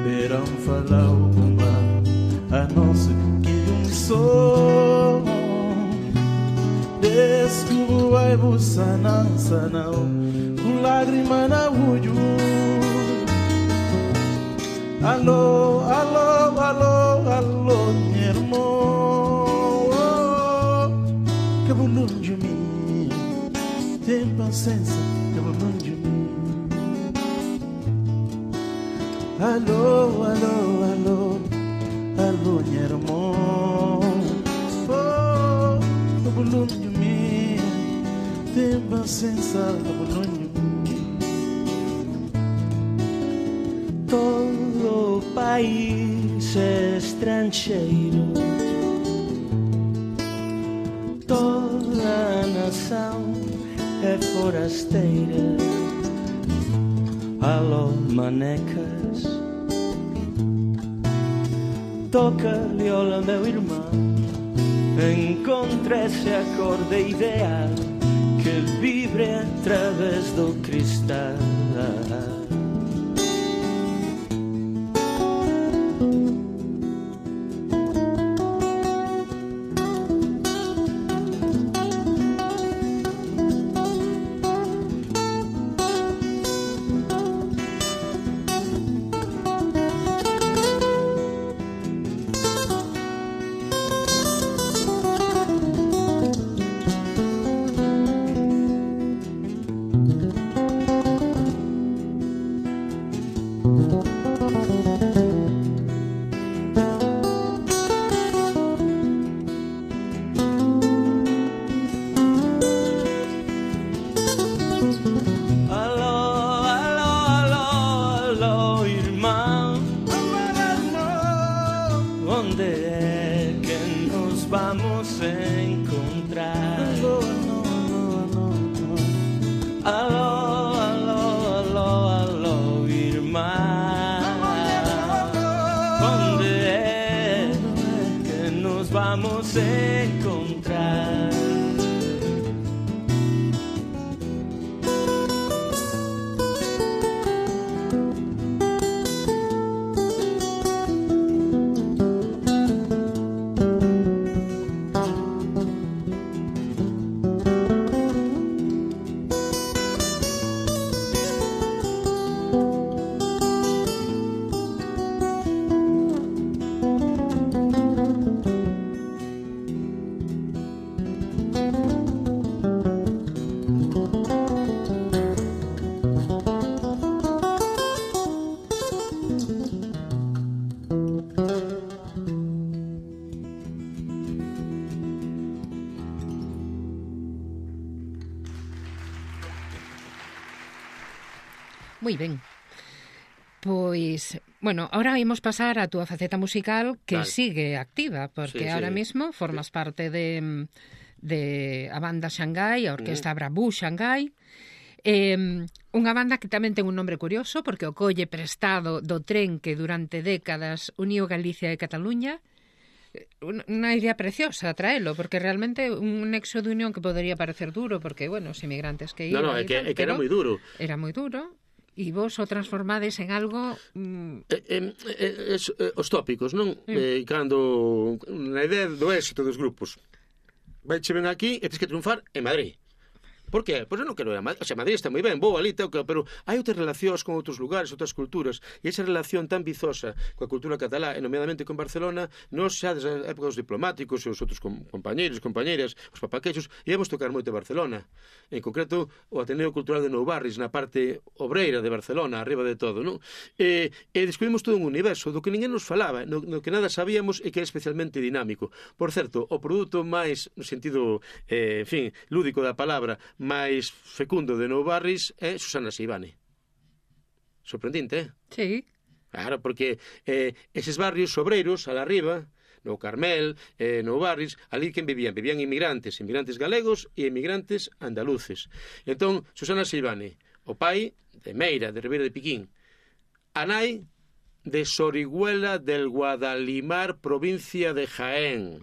Verão falar o a nossa que som desculpa vai buscar não com lágrima na olho. Alô, alô, alô, alô, meu irmão, que bom de mim, tem paciência, que bom de mim. Alô, alô, alô, alô, meu irmão, que bom de mim, tem paciência, que bom de mim. Todo país é estrangeiro, toda nação é forasteira. Alô, manecas, toca-lhe, olha, meu irmão, encontre-se a corda ideal que vibre através do cristal. Moi ben. Pois, bueno, ahora imos pasar a túa faceta musical que sigue activa, porque ahora mismo formas parte de a banda Xangai, a Orquesta Brabú Xangai, unha banda que tamén ten un nombre curioso, porque o colle prestado do tren que durante décadas uniu Galicia e Cataluña. Unha idea preciosa traelo, porque realmente un nexo de unión que podería parecer duro, porque, bueno, os inmigrantes que iban... é que era moi duro. Era moi duro, e vos o transformades en algo... Os tópicos, non? Cando na idea do éxito dos grupos vai che ven aquí e tens que triunfar en Madrid. Por qué? Pois eu non quero ir a Madrid. O sea, Madrid está moi ben, vou ali, pero hai outras relacións con outros lugares, outras culturas, e esa relación tan vizosa coa cultura catalá, e nomeadamente con Barcelona, nos xa desde a época dos diplomáticos e os outros compañeiros, compañeiras, os papaquechos, íamos tocar moito a Barcelona. En concreto, o Ateneo Cultural de Nou Barris, na parte obreira de Barcelona, arriba de todo, non? E descubrimos todo un universo do que ninguén nos falaba, no que nada sabíamos e que é especialmente dinámico. Por certo, o produto máis, no sentido, en fin, lúdico da palabra, máis fecundo de Nou Barris é Susana Seivane. Sorprendente, Sí. Claro, porque eses barrios obreiros, a la arriba, no Carmel, Nou Barris, ali quen vivían? Vivían inmigrantes galegos e inmigrantes andaluces. Entón, Susana Seivane, o pai de Meira, de Ribeira de Piquín, a nai de Sorihuela del Guadalimar, provincia de Jaén.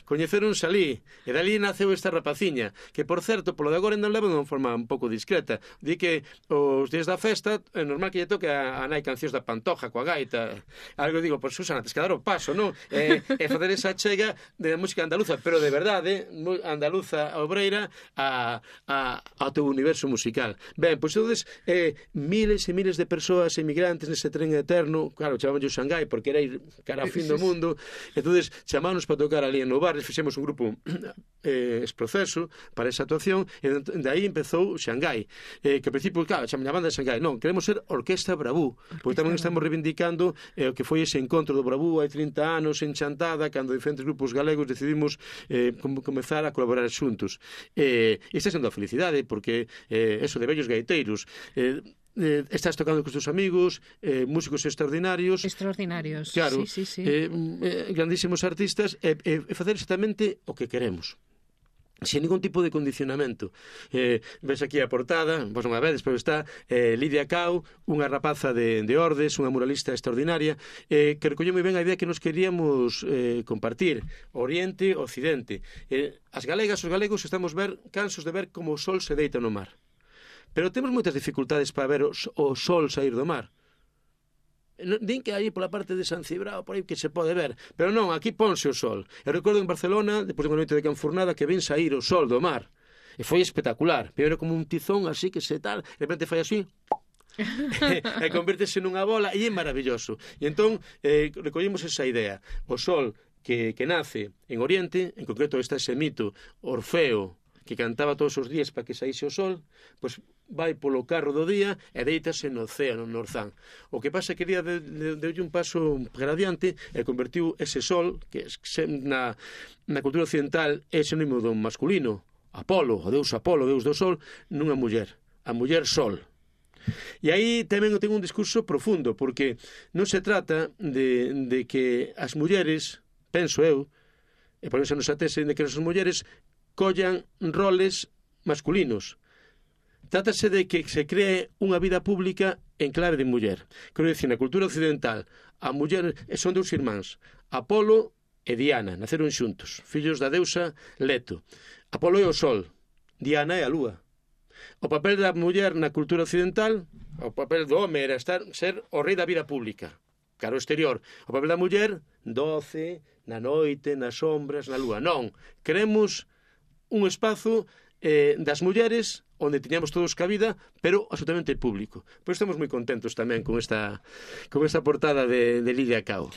Coñeceronse ali, e dali naceu esta rapaciña, que, por certo, polo de agora non levan de unha forma un pouco discreta. Di que os días da festa é normal que lle toque a nai cancións da Pantoja, coa gaita. Algo digo, pois, Susana, tes que dar o paso, non? E facer esa chega de música andaluza, pero de verdade, andaluza obreira, ao teu universo musical. Ben, pois, entonces, miles e miles de persoas emigrantes nese tren eterno. Claro, chamámoslle Xangai porque era ir cara ao fin do mundo. Entonces chamámonos para tocar ali en Nou Barris, fixemos un grupo exproceso para esa actuación, e de aí empezou Xangai, que ao principio, claro, chamamos a banda Xangai. Non, queremos ser Orquesta Brabú, porque tamén estamos reivindicando o que foi ese encontro do Brabú hai 30 anos en Chantada, cando diferentes grupos galegos decidimos comezar a colaborar xuntos. Esta sendo a felicidade, porque eso de vellos gaiteiros, estás tocando con os teus amigos, músicos extraordinarios, claro, sí. Grandísimos artistas, e facer exactamente o que queremos, sin ningún tipo de condicionamento. Ves aquí a portada, vos non a vedes, pero está Lidia Cao, unha rapaza de Ordes, unha muralista extraordinaria, que recolleu moi ben a idea que nos queríamos compartir, Oriente, Occidente. As galegas, os galegos, estamos cansos de ver como o sol se deita no mar. Pero temos moitas dificultades para ver o sol sair do mar. Din que aí pola parte de San Cibrao, por aí que se pode ver, pero non, aquí ponse o sol. Eu recordo en Barcelona, depois de unha noite de canfurnada, que ven sair o sol do mar, e foi espectacular. Primeiro como un tizón así que se tal, de repente fai así e convértese nunha bola, e é maravilloso. E entón recollimos esa idea, o sol que nace en Oriente, en concreto está ese mito Orfeo, que cantaba todos os días para que saíse o sol, pois vai polo carro do día e deítase no océano, no Orzán. O que pasa é que día deulle un paso gradiente e convertiu ese sol, que na cultura occidental é sinónimo do masculino, Apolo, o deus Apolo, o deus do sol, nunha muller, a muller sol. E aí tamén ten un discurso profundo, porque non se trata de que as mulleres, penso eu, e por eso nos atese de que as mulleres collan roles masculinos. Trátase de que se cree unha vida pública en clave de muller. Quero dicir, na cultura occidental, a muller son dous irmáns, Apolo e Diana, naceron xuntos, fillos da deusa Leto. Apolo é o sol, Diana é a lúa. O papel da muller na cultura occidental, o papel do home era ser o rei da vida pública, cara ao exterior. O papel da muller, doce, na noite, nas sombras, na lúa. Non, queremos un espazo das mulleres onde tiñamos todos cabida, pero absolutamente público. Pois estamos moi contentos tamén con esta portada de Lidia Cao.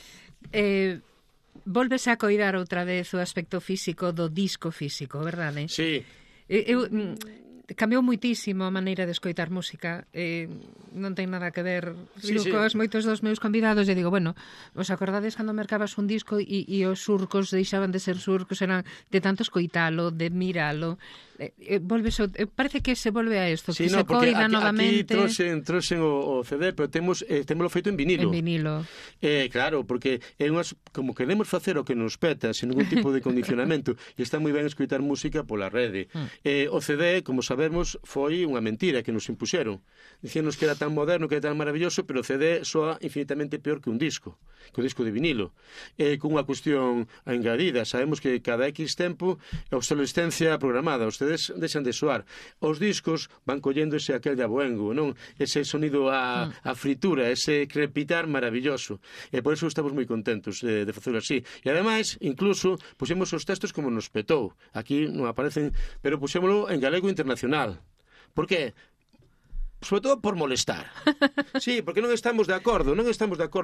Volves a coidar outra vez o aspecto físico do disco físico, verdade? Sí. Cambiou moitísimo a maneira de escoitar música, non ten nada que ver cos moitos dos meus convidados. E digo, bueno, os acordades cando mercabas un disco e os surcos deixaban de ser surcos, eran de tanto escoitalo, de miralo. Parece que se volve a isto, sí, que se coida novamente. Aquí trouxen o CD, pero témoslo feito en vinilo. En vinilo. Claro, porque como queremos facer o que nos peta, sen ningún tipo de condicionamento, e está moi ben escoitar música pola rede. O CD, como sabemos, foi unha mentira que nos impuxeron. Dicíanos que era tan moderno, que era tan maravilloso, pero o CD soa infinitamente peor que un disco de vinilo. Con unha cuestión engadida, sabemos que cada X tempo a obsolescencia programada, ustedes deixan de soar. Os discos van collendo aquel de aboengo, non? Ese sonido a fritura, ese crepitar maravilloso. E por eso estamos moi contentos de facelo así. E ademais, incluso, puxemos os textos como nos petou. Aquí non aparecen, pero puxémolo en galego internacional. Por que? Sobre todo por molestar. Sí, porque non estamos de acordo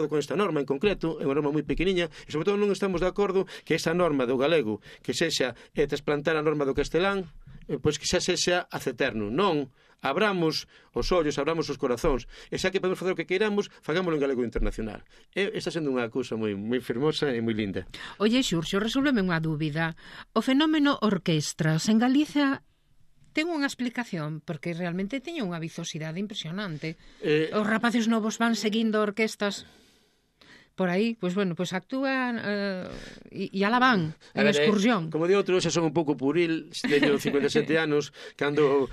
con esta norma en concreto, é unha norma moi pequeniña, e sobre todo non estamos de acordo que esa norma do galego, que sexa trasplantar a norma do castelán, pois que xa sexa aceterno. Non, abramos os ollos, abramos os corazóns, e xa que podemos facer o que queiramos, fagámoslo en galego internacional. Está sendo unha cousa moi fermosa e moi linda. Oye, Xurxo, resólveme unha dúbida. O fenómeno orquestras en Galicia ten unha explicación, porque realmente teña unha vizosidade impresionante. Os rapaces novos van seguindo orquestas por aí, pois bueno, pois actúan e ala van en excursión. Como de outro, xa son un pouco puril, teño 57 anos, cando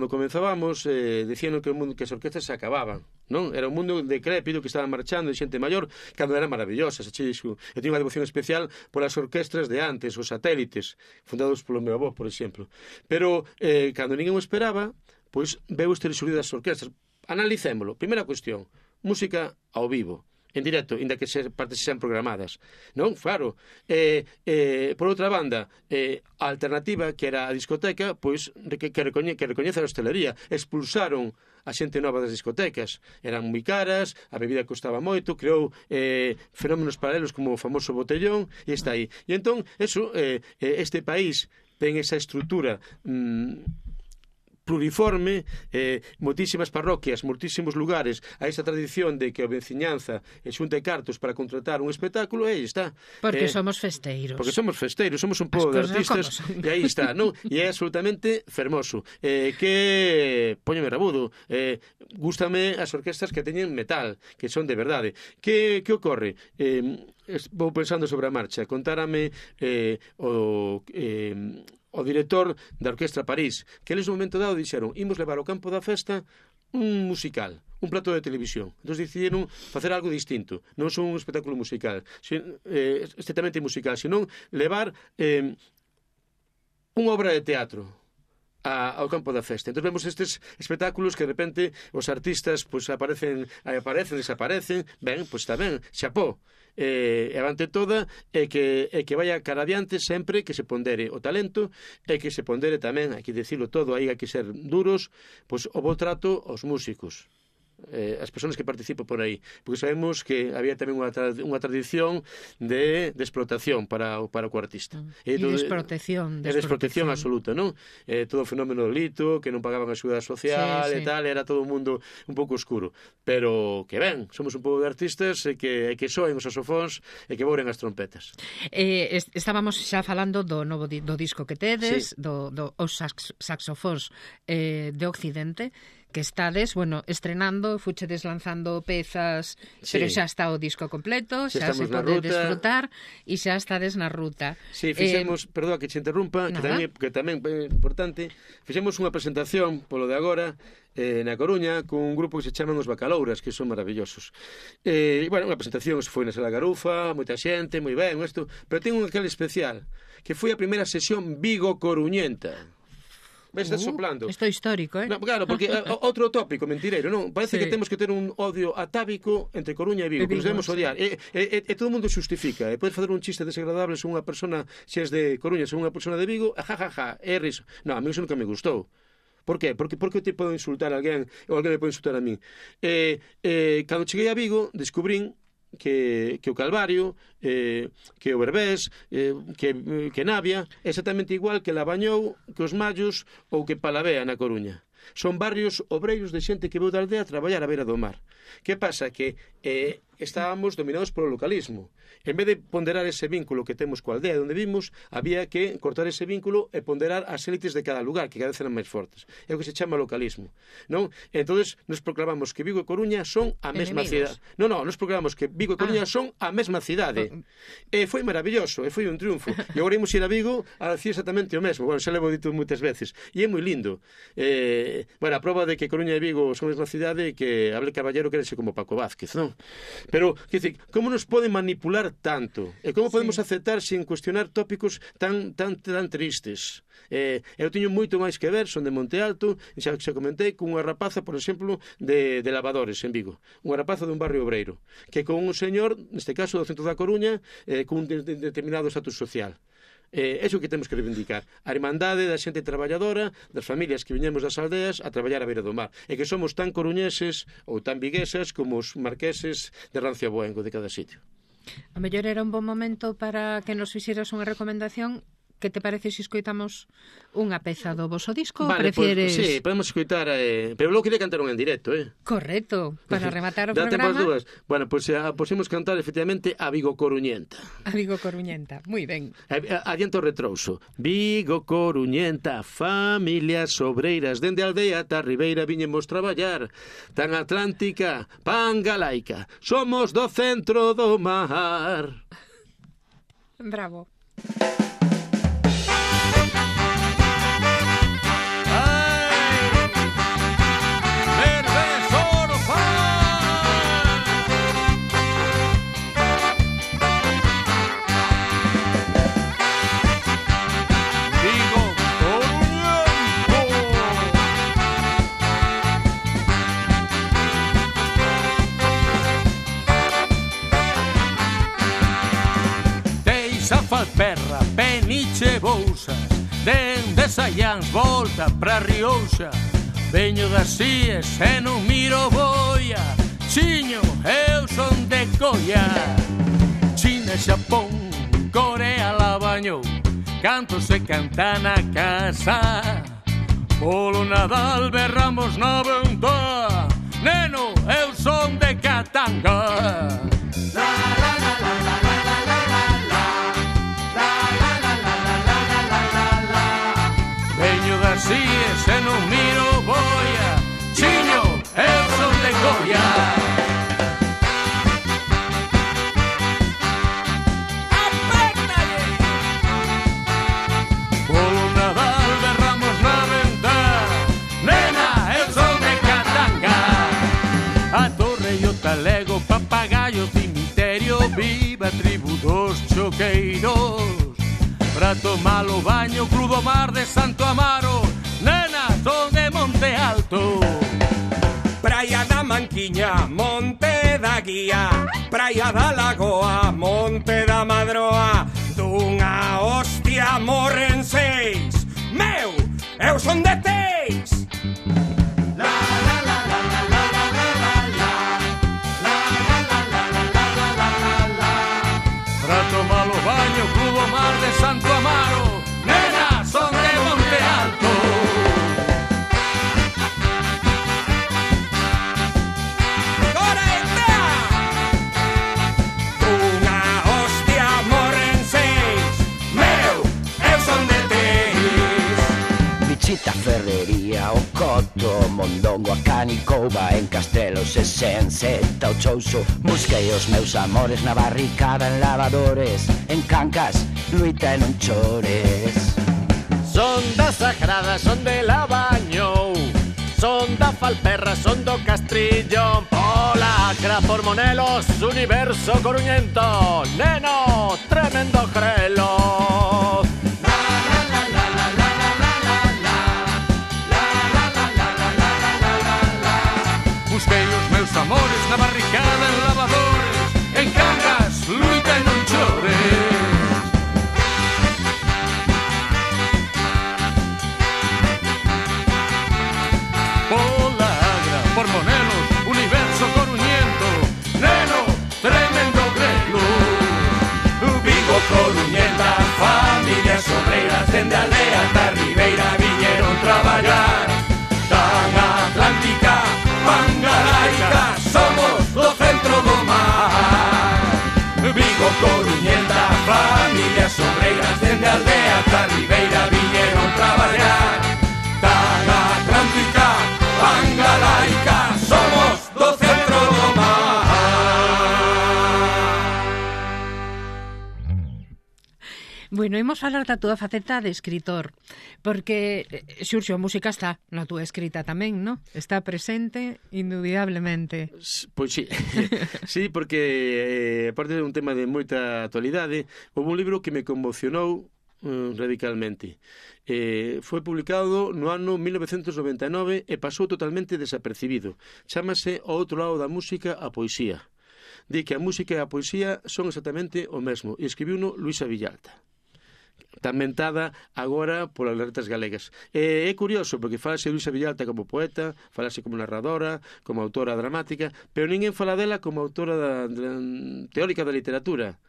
comenzábamos, dicían que as orquestas se acababan, non? Era un mundo decrépido que estaba marchando de xente maior, cando eran maravillosas. Eu teño unha devoción especial polas orquestras de antes, os satélites, fundados polo meu avó, por exemplo. Pero, cando ninguén o esperaba, pois veu este resurgir das orquestras. Analicémolo. Primeira cuestión, música ao vivo, en directo, inda que partes sean programadas, non? Claro. Por outra banda, a alternativa, que era a discoteca, pois que recoñece a hostelería. Expulsaron a xente nova das discotecas. Eran moi caras, a bebida costaba moito, creou fenómenos paralelos como o famoso botellón, e está aí. E entón, este país ten esa estrutura pluriforme, moitísimas parroquias, moitísimos lugares, a esa tradición de que a veciñanza xunte cartos para contratar un espectáculo, e aí está. Porque somos festeiros. Somos un pobo de artistas, e aí está, non? E é absolutamente fermoso. Que póñeme rabudo, gústame as orquestas que teñen metal, que son de verdade. Que ocorre? Vou pensando sobre a marcha, contárame o director da Orquestra París, que eles no momento dado dixeron: imos levar ao campo da festa un musical, un plato de televisión. Entón decidiron facer algo distinto, non son un espectáculo musical, estrictamente musical, senón levar unha obra de teatro ao campo da festa. Entón vemos estes espectáculos que de repente os artistas pois aparecen, desaparecen. Ben, pois está ben, xapó. E avante toda que vaya cara adiante sempre, que se pondere o talento e que se pondere tamén, hai que dicilo todo, hai que ser duros, pois o bo trato aos músicos, as persoas que participan por aí, porque sabemos que había tamén unha tradición de explotación para o artista. E desprotección absoluta, non? Todo o fenómeno do lito, que non pagaban a seguridade social e tal, era todo un mundo un pouco oscuro. Pero que ben, somos un pouco de artistas e que soen os saxofóns e que boren as trompetas. Estábamos xa falando do novo do disco que tedes, os saxofóns de Occidente, que estades, estrenando, fuchedes lanzando pezas, pero xa está o disco completo, xa se pode desfrutar e xa estades na ruta. Sí, fixemos, perdón que te interrumpa, que tamén é importante, fixemos unha presentación polo de agora na Coruña con un grupo que se chaman Os Bacalouras, que son maravillosos. Unha presentación foi na Sala Garufa, moita xente, moi ben, pero ten un aquel especial, que foi a primeira sesión Vigo-Coruñenta. Ves, estás soplando. Isto é histórico, No, claro, porque outro tópico mentireiro, non? Parece que temos que ter un odio atávico entre Coruña e Vigo, que nos debemos odiar. E todo o mundo xustifica. Podes facer un chiste desagradable sobre unha persona, se és de Coruña, sobre unha persona de Vigo, é riso. Non, a mí iso nunca me gustou. Por qué? Porque te podo insultar a alguén ou alguén me pode insultar a mí. Cando cheguei a Vigo, descubrín que o Calvario, que o Berbés, que Navia, exactamente igual que Labañou, que os Mallos ou que Palavea na Coruña. Son barrios obreiros de xente que veu da aldea a traballar á beira do mar. Que pasa? Que estábamos dominados polo localismo. En vez de ponderar ese vínculo que temos coa aldea onde vimos, había que cortar ese vínculo e ponderar as élites de cada lugar, que cada vez eran máis fortes. É o que se chama localismo, non? Entonces, nos proclamamos que Vigo e Coruña son a mesma cidade. Non, nos proclamamos que Vigo e Coruña son a mesma cidade. E foi maravilloso, e foi un triunfo. E agora imos ir a Vigo a decir exactamente o mesmo. Bueno, xa levo dito moitas veces. E é moi lindo. Bueno, a prova de que Coruña e Vigo son a mesma cidade que Abel Caballero quere ser como Paco Vázquez, non? Pero, quer dizer, como nos poden manipular tanto? E como podemos aceptar sin cuestionar tópicos tan tristes? Eu teño moito máis que ver, son de Monte Alto, xa comentei, con unha rapaza, por exemplo, de lavadores en Vigo. Unha rapaza dun barrio obreiro, que con un señor, neste caso do centro da Coruña, con un determinado estatus social. É o que temos que reivindicar, a irmandade da xente traballadora, das familias que viñemos das aldeas a traballar á beira do mar, e que somos tan coruñeses ou tan viguesas como os marqueses de Rancia Boengo de cada sitio. A mellor era un bon momento para que nos fixeras unha recomendación. Que te parece se escoitamos unha peza do voso disco? Vale, prefieres... Sí, podemos escoitar, pero logo quería cantar un en directo, Correcto, para rematar o programa. Dá tempo as dúas. Bueno, pois podemos cantar efectivamente a Vigo Coruñenta. A Vigo Coruñenta, moi ben. Adianto o retrouso. Vigo Coruñenta, familias obreiras, dende a aldea ata a ribeira viñemos traballar. Tan atlántica, pan galaica, somos do centro do mar. Bravo. Falperra, Peniche, Bouzas, dende Saiáns volta pra Riouxa. Veño das Síes e non miro boia, Chiño, eu son de Coia. China, Xapón, Corea la bañou, canto se canta na casa. Polo Nadal berramos na venta, neno, eu son de Catanga. La la la la la la la la la. Así es, e non miro boia, Chiño, eu son de Coia. Apértalle! Polo Nadal berramos na venta, nena, eu son de Catanga. A torre e o talego, papagayo, cemiterio, viva a tribu dos choqueiros. Pra tomar o baño, crudo mar de Santo Amaro, nena, son de Monte Alto. Praia da Manquiña, Monte da Guía, Praia da Lagoa, Monte da Madroa. Dunha hostia morren 6, meu, eu son de Teis. La la la la la la la la la la, la la la la la la la la la. Pra tomar o baño, crudo mar de Santo Amaro, nena, son de Monte Alto. ¡Correcta! Unha hostia morren 6, meu, eu son de Teis. Bichita, Ferrería, o Coto, Mondongo, a Canicouba, en Castelos e Senseta, o Chouso. Busquei os meus amores na barricada, en lavadores, en Cancas, Luita e non chores. Son da Sagrada, son de Lavañou, son da Falperra, son do Castrillón. Pola Acra, por Monelos, Universo Coruñento, neno, tremendo grelo. Busquei os meus amores na barricada, en lavadores, en Cangas, Luita e non chores. Pola Agra, por Monelos, Universo Coruñento, neno, tremendo grelo. Vigo Coruñenta. Bueno, imos falar da túa faceta de escritor, porque, Xurxo, a música está na túa escrita tamén, non? Está presente indudablemente. Pois sí, sí, porque aparte de un tema de moita actualidade, houve un libro que me conmocionou radicalmente. Foi publicado no ano 1999 e pasou totalmente desapercibido. Chámase O outro lado da música, a poesía. Di que a música e a poesía son exactamente o mesmo, e escribiuno Luisa Villalta, tan mentada agora polas letras galegas. É curioso, porque falase Luisa Villalta como poeta, falase como narradora, como autora dramática, pero ninguén fala dela como autora teórica da literatura.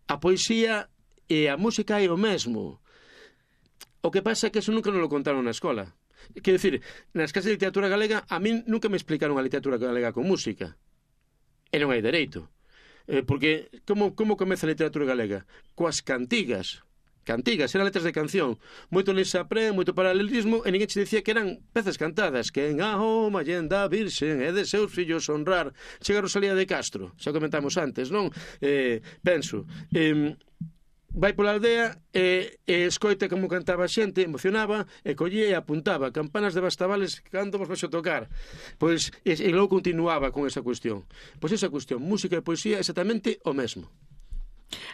A poesía e a música é o mesmo. O que pasa é que eso nunca nos lo contaron na escola. Quero dicir, nas clases de literatura galega, a min nunca me explicaron a literatura galega con música. E non hai dereito. Porque como comeza a literatura galega? Coas cantigas. Cantigas, eran letras de canción. Moito les apré, moito paralelismo, e ninguén che dicía que eran pezas cantadas. Que en Ahoma Allenda Virxen e de seus fillos honrar. Chega Rosalía de Castro, xa comentamos antes, non? Penso... vai pola aldea e escoita como cantaba a xente, emocionaba, e collía e apuntaba campanas de Bastavales cando vos vais a tocar. Pois, e logo continuaba con esa cuestión. Pois esa cuestión, música e poesía, exactamente o mesmo.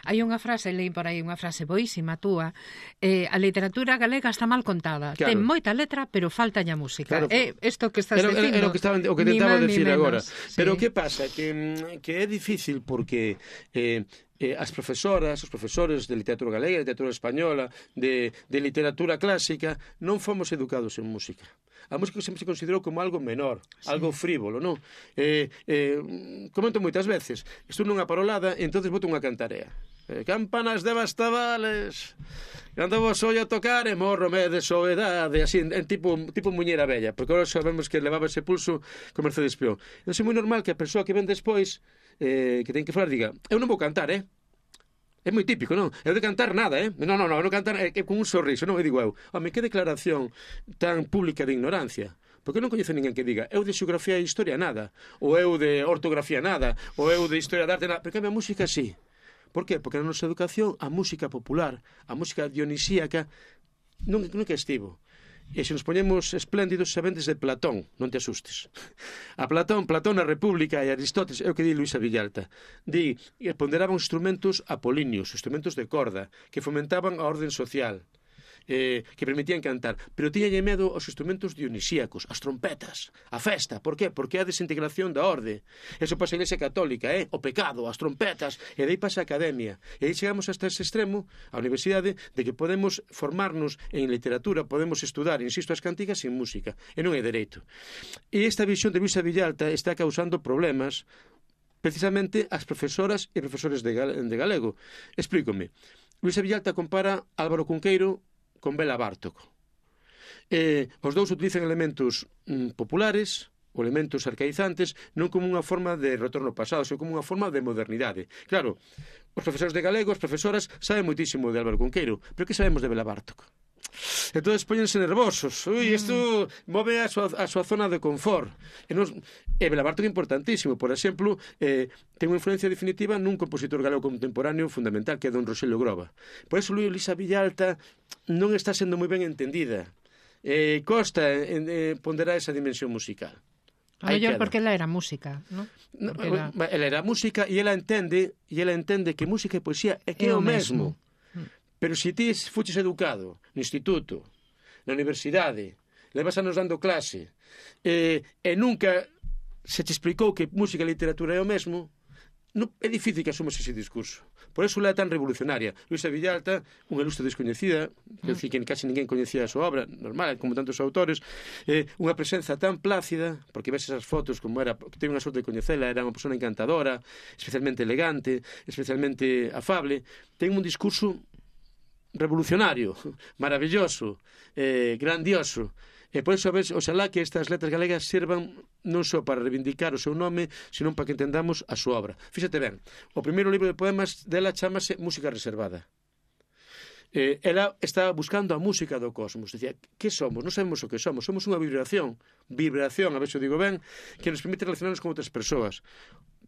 Hai unha frase, leí por aí unha frase boísima túa, a literatura galega está mal contada, claro. Ten moita letra, pero falta a música. Claro. Isto que estás dicindo. Era o que tentaba decir agora. Sí. Pero que pasa? Que é difícil porque as profesoras, os profesores de literatura galega, de literatura española, de literatura clásica, non fomos educados en música. A música sempre se considerou como algo menor, sí, algo frívolo, non? Comento moitas veces, estou nunha parolada e entonces boto unha cantarea. Campanas de Bastavales, cando vos ollo tocar e morrome de soedade, así, en tipo muñeira bella, porque agora sabemos que levaba ese pulso con Mercedes Peón. Non é moi normal que a persoa que ven despois, que ten que falar, diga, eu non vou cantar, É moi típico, non? Eu de cantar nada, Non cantar con un sorriso, non? Eu digo eu, home, que declaración tan pública de ignorancia. Porque non coñece ninguén que diga, eu de xeografía e historia nada, ou eu de ortografía nada, ou eu de historia de arte nada, porque a minha música sí. Por qué? Porque na nosa educación a música popular, a música dionisíaca, non que estivo. E se nos poñemos espléndidos sabendes de Platón, non te asustes. A Platón na República e Aristóteles, é o que di Luisa Villalta, di que ponderaban instrumentos apolíneos, instrumentos de corda, que fomentaban a orden social, que permitían cantar, pero tiñalle medo aos instrumentos dionisíacos, as trompetas, a festa. Por qué? Porque é a desintegración da orde. Eso pasa a Iglesia Católica, o pecado, as trompetas, e dai pasa a academia. E aí chegamos hasta ese extremo, a universidade, de que podemos formarnos en literatura, podemos estudar, insisto, as cantigas sin música, e non é dereito. E esta visión de Luisa Villalta está causando problemas precisamente ás profesoras e profesores de galego. Explícome. Luisa Villalta compara Álvaro Cunqueiro con Bela Bartók. Os dous utilizan elementos populares ou elementos arcaizantes non como unha forma de retorno ao pasado, sino como unha forma de modernidade. Claro, os profesores de galego, as profesoras, saben moitísimo de Álvaro Cunqueiro, pero que sabemos de Bela Bartók? Entón póñense nervosos. Isto move a súa zona de confort. E Bela Bartók é importantísimo. Por exemplo, ten unha influencia definitiva nun compositor galego contemporáneo fundamental, que é don Roxelio Groba. Por eso Luisa Villalta non está sendo moi ben entendida. Costa ponderar esa dimensión musical. A mellor porque ela era música, non? Ela era música e ela entende que música e poesía é que é o mesmo. Pero se ti fuches educado no instituto, na universidade, levas anos dando clase, e nunca se te explicou que música e literatura é o mesmo, é difícil que asumas ese discurso. Por eso ela é tan revolucionaria. Luisa Villalta, unha ilustre descoñecida, que casi ninguén coñecía a súa obra, normal, como tantos autores, unha presenza tan plácida, porque ves esas fotos como era, que tenho unha sorte de coñecela, era unha persona encantadora, especialmente elegante, especialmente afable, ten un discurso revolucionario, maravilloso, grandioso. E por iso, oxalá que estas letras galegas sirvan non só para reivindicar o seu nome, senón para que entendamos a súa obra. Fíxate ben, o primeiro libro de poemas dela chamase Música Reservada. Ela está buscando a música do cosmos. Dicía, que somos? Non sabemos o que somos. Somos unha vibración, a ver se o digo ben, que nos permite relacionarnos con outras persoas.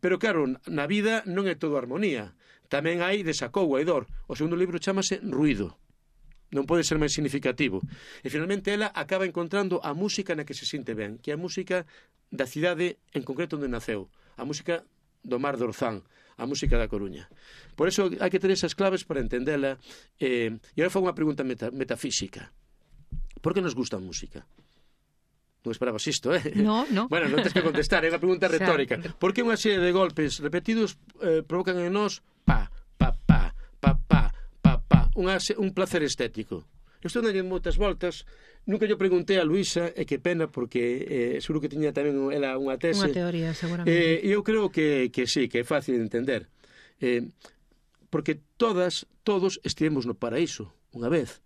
Pero claro, na vida non é todo armonía. Tamén hai desacougo, hai dor. O segundo libro chamase Ruído. Non pode ser máis significativo. E finalmente ela acaba encontrando a música na que se sinte ben, que é a música da cidade en concreto onde naceu, a música do Mar de Orzán, a música da Coruña. Por eso hai que ter esas claves para entendela. E agora fago unha pregunta metafísica. Por que nos gusta a música? Non esperabas isto, No. Bueno, non tens que contestar, é unha pregunta retórica. Por que unha serie de golpes repetidos provocan en nós pa, pa, pa, pa, pa, un placer estético? Eu estou dando moitas voltas. Nunca yo preguntei a Luisa, e que pena, porque seguro que tiña tamén ela unha tese. Unha teoría, seguramente. Eu creo que sí, que é fácil de entender. Porque todos estivemos no paraíso unha vez.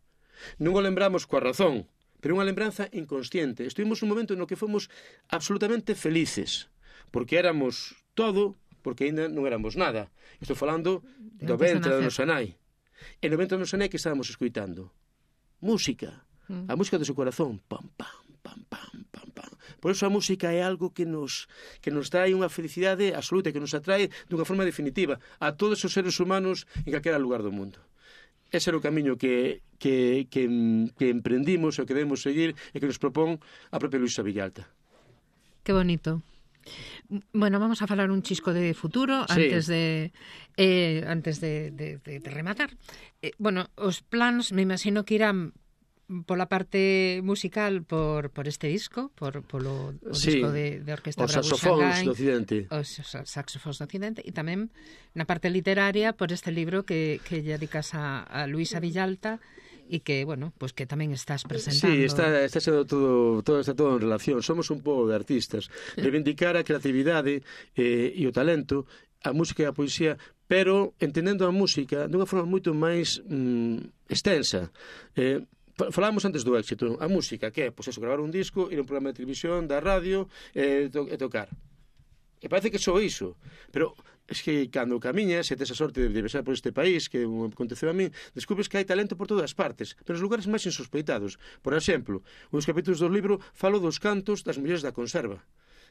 Non o lembramos coa razón, pero unha lembranza inconsciente. Estivemos un momento no que fomos absolutamente felices, porque éramos todo, porque ainda non éramos nada. Estou falando do ventre da nosa nai. E no ventre da nosa nai que estábamos escuitando? Música. A música do seu corazón. Pam, pam, pam, pam, pam, pam. Por eso a música é algo que nos trae unha felicidade absoluta, que nos atrae dunha forma definitiva a todos os seres humanos en calquera lugar do mundo. Ese era o camiño que emprendimos e que debemos seguir e que nos propón a propia Luisa Villalta. Que bonito. Bueno, vamos a falar un chisco de futuro antes de rematar. Bueno, os plans me imagino que irán pola parte musical por este disco, polo disco de Orquesta Bravo Xangai, os saxofóns do Occidente, e tamén na parte literaria por este libro que lle dedicas a Luisa Villalta, e que, bueno, pues que tamén estás presentando. Sí, está sendo todo en relación. Somos un pobo de artistas. Reivindicar a creatividade e o talento, a música e a poesía, pero entendendo a música dunha forma moito máis extensa. Falábamos antes do éxito. A música, que é, pois eso, gravar un disco, ir a un programa de televisión, da radio, e tocar. E parece que só iso, pero es que cando camiñas e tes a sorte de viaxar por este país, que aconteceu a mí, descubres que hai talento por todas partes, pero nos lugares máis insospeitados. Por exemplo, uns capítulos do libro falo dos cantos das mulleres da conserva.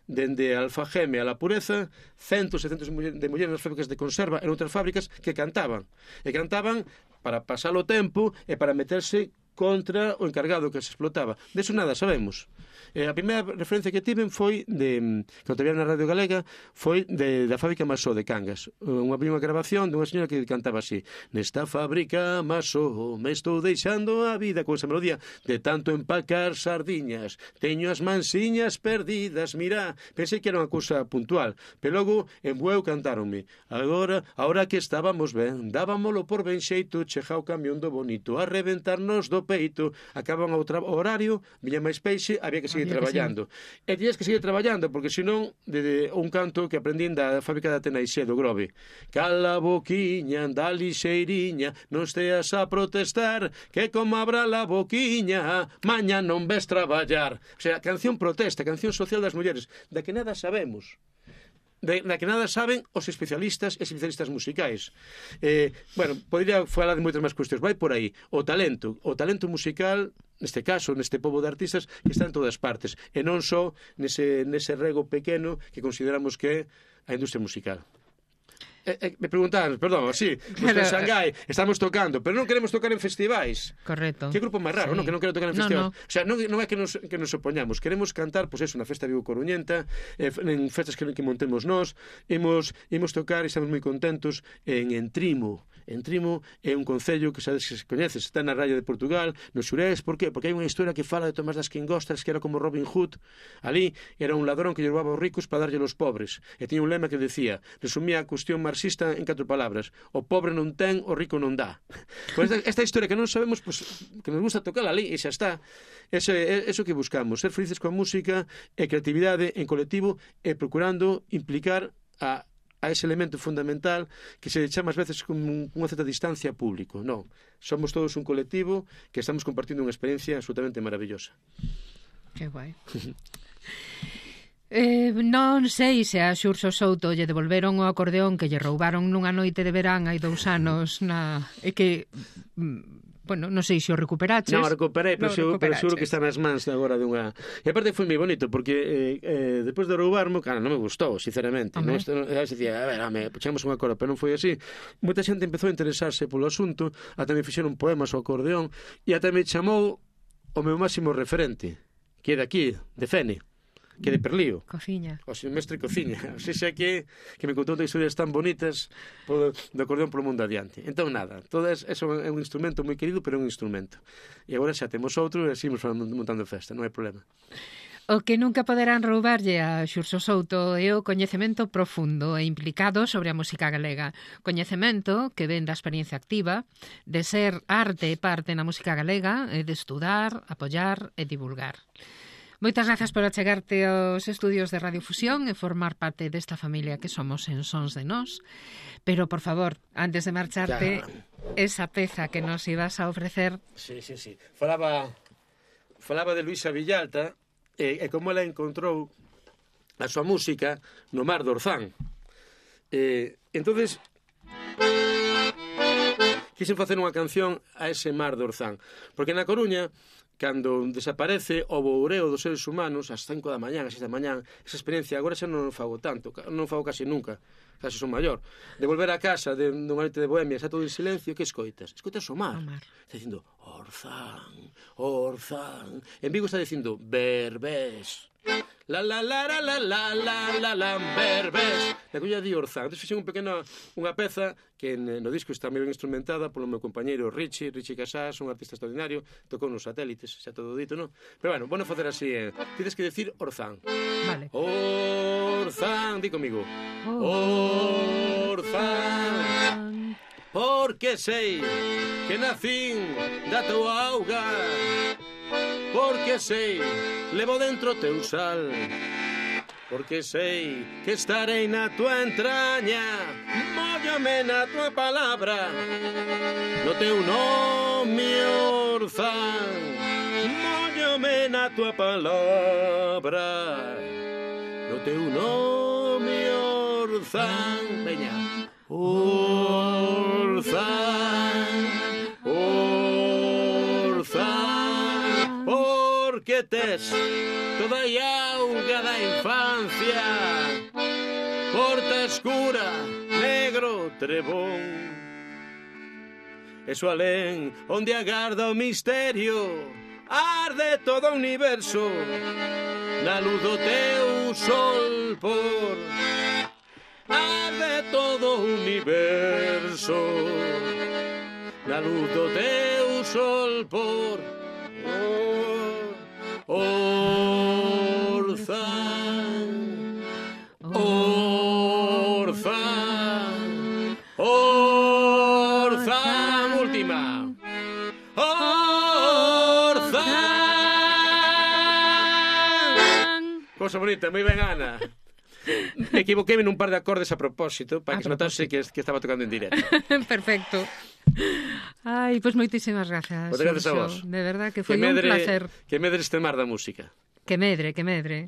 Dende a Alfageme a la Pureza, centos e centos de mulleres nas fábricas de conserva e outras fábricas que cantaban. E cantaban para pasar o tempo e para meterse contra o encargado que se explotaba. De eso nada sabemos. A primeira referencia que tiven foi cando te na Radio Galega, foi da fábrica Masó de Cangas. Unha primeira grabación dunha señora que cantaba así: nesta fábrica Masó me estou deixando a vida, con esa melodía, de tanto empacar sardiñas, teño as mansiñas perdidas, mira. Pensei que era unha cousa puntual, pero logo en Bueu cantáronme: agora que estábamos ben, dábamolo por ben xeito, chega o camión do bonito a reventarnos do peito, acaban o horario, viña máis peixe, había que seguir traballando. E tiñas que seguir traballando, porque senón, de un canto que aprendín da fábrica de Atenaixé, do Grove: cala boquiña, anda lixeiriña, non esteas a protestar, que como abra la boquiña, maña non ves traballar. O sea, canción protesta, canción social das mulleres, da que nada sabemos, na que nada saben os especialistas e especialistas musicais. Bueno, podría falar de moitas máis cuestións. Vai por aí. O talento musical, neste caso, neste pobo de artistas, que está en todas partes, e non só nese rego pequeno que consideramos que é a industria musical. Me preguntaron, perdón, sí, en Xangai estamos tocando, pero non queremos tocar en festivais. Correcto. Que grupo máis raro, sí. Non? Que non quero tocar en festivais. No. O sea, non é que nos opoñamos, queremos cantar, pois eso, na festa Vigo Coruñenta, en festas que montemos nós, imos tocar e estamos moi contentos en Entrimo. Entrimo é un concello que sabes que se coñece, está na raya de Portugal, no Xurés. Por qué? Porque hai unha historia que fala de Tomás das Quingostras, que era como Robin Hood. Ali era un ladrón que lle roubaba aos ricos para darlle aos pobres, e tiña un lema que decía, resumía a cuestión marxista en 4 palabras: o pobre non ten, o rico non dá. Pues esta historia que non sabemos, pues, que nos gusta tocar ali e xa está. Eso que buscamos, ser felices coa música e creatividade en colectivo, e procurando implicar a ese elemento fundamental que se chama ás veces con unha certa distancia público. Non, somos todos un colectivo que estamos compartindo unha experiencia absolutamente maravillosa. Que guai. Non sei se a Xurxo Souto lle devolveron o acordeón que lle roubaron nunha noite de verán hai 2 anos e que bueno, non sei se o recuperaches. Non, recuperei, pero seguro que recuperaches. está nas mans agora dunha... E aparte foi moi bonito, porque depois de roubarmo, cara, non me gustou, sinceramente. Home. Dicía, a ver, puxemos un acordo, pero non foi así. Moita xente empezou a interesarse polo asunto, ata me fixeron poemas ao acordeón, e ata me chamou o meu máximo referente, que é de aquí, de Fene, que é de Perlío. Cociña. O seu mestre cociña. O sea que me contou historias tan bonitas do acordeón polo mundo adiante. Entón, nada, todo eso é un instrumento moi querido, pero é un instrumento. E agora xa temos outro e seguimos montando festa, non hai problema. O que nunca poderán roubarlle a Xurxo Souto é o coñecemento profundo e implicado sobre a música galega. Coñecemento que ven da experiencia activa, de ser arte e parte na música galega, e de estudar, apoiar e divulgar. Moitas grazas por achegarte aos estudios de Radio Fusión e formar parte desta familia que somos en Sons de Nós. Pero, por favor, antes de marcharte, esa peza que nos ibas a ofrecer... Sí. Falaba de Luisa Villalta e como ela encontrou a súa música no mar do Orzán. Entonces quixen facer unha canción a ese mar do Orzán, porque na Coruña, cando desaparece o boureo dos seres humanos ás 5 da mañán, ás 6 da mañán, esa experiencia agora xa non fago tanto, non fago casi nunca, casi son maior, de volver a casa dunha noite de bohemia, xa todo en silencio, que escoitas? Escoitas o mar. Está dicindo Orzán, Orzán. En Vigo está dicindo Berbés. La la la la la la la la la Berbés. Na Coruña di Orzán. Entón fixen unha peza que no disco está moi ben instrumentada polo meu compañeiro Richie Casás, un artista extraordinario, tocou nos satélites, xa todo dito, non? Pero bueno, bueno facer así, tienes que decir Orzán. Vale. Orzán, di comigo. Orzán, porque sei que nacín da tua auga, porque sei, levo dentro teu sal, porque sei que estarei na tua entraña, móllame na tua palabra, no teu nome Orzán, móllame na tua palabra, no teu nome Orzán. Veña. Orzán, Orzán, porque tes toda a auga da infancia, porta escura, negro trebón, eso alén onde agarda o misterio, arde todo o universo, na luz do teu sol por, arde todo o universo, na luz do teu sol por, Orzán, Orzán, Orzán, última. Orzán. Cosa bonita, moi ben, Ana. Equivoquéme nun par de acordes a propósito para que se notase que estaba tocando en directo. Perfecto. Ai, pois moitísimas grazas. Moitas grazas a vos. De verdad que foi un placer. Que medre este mar da música. Que medre, que medre.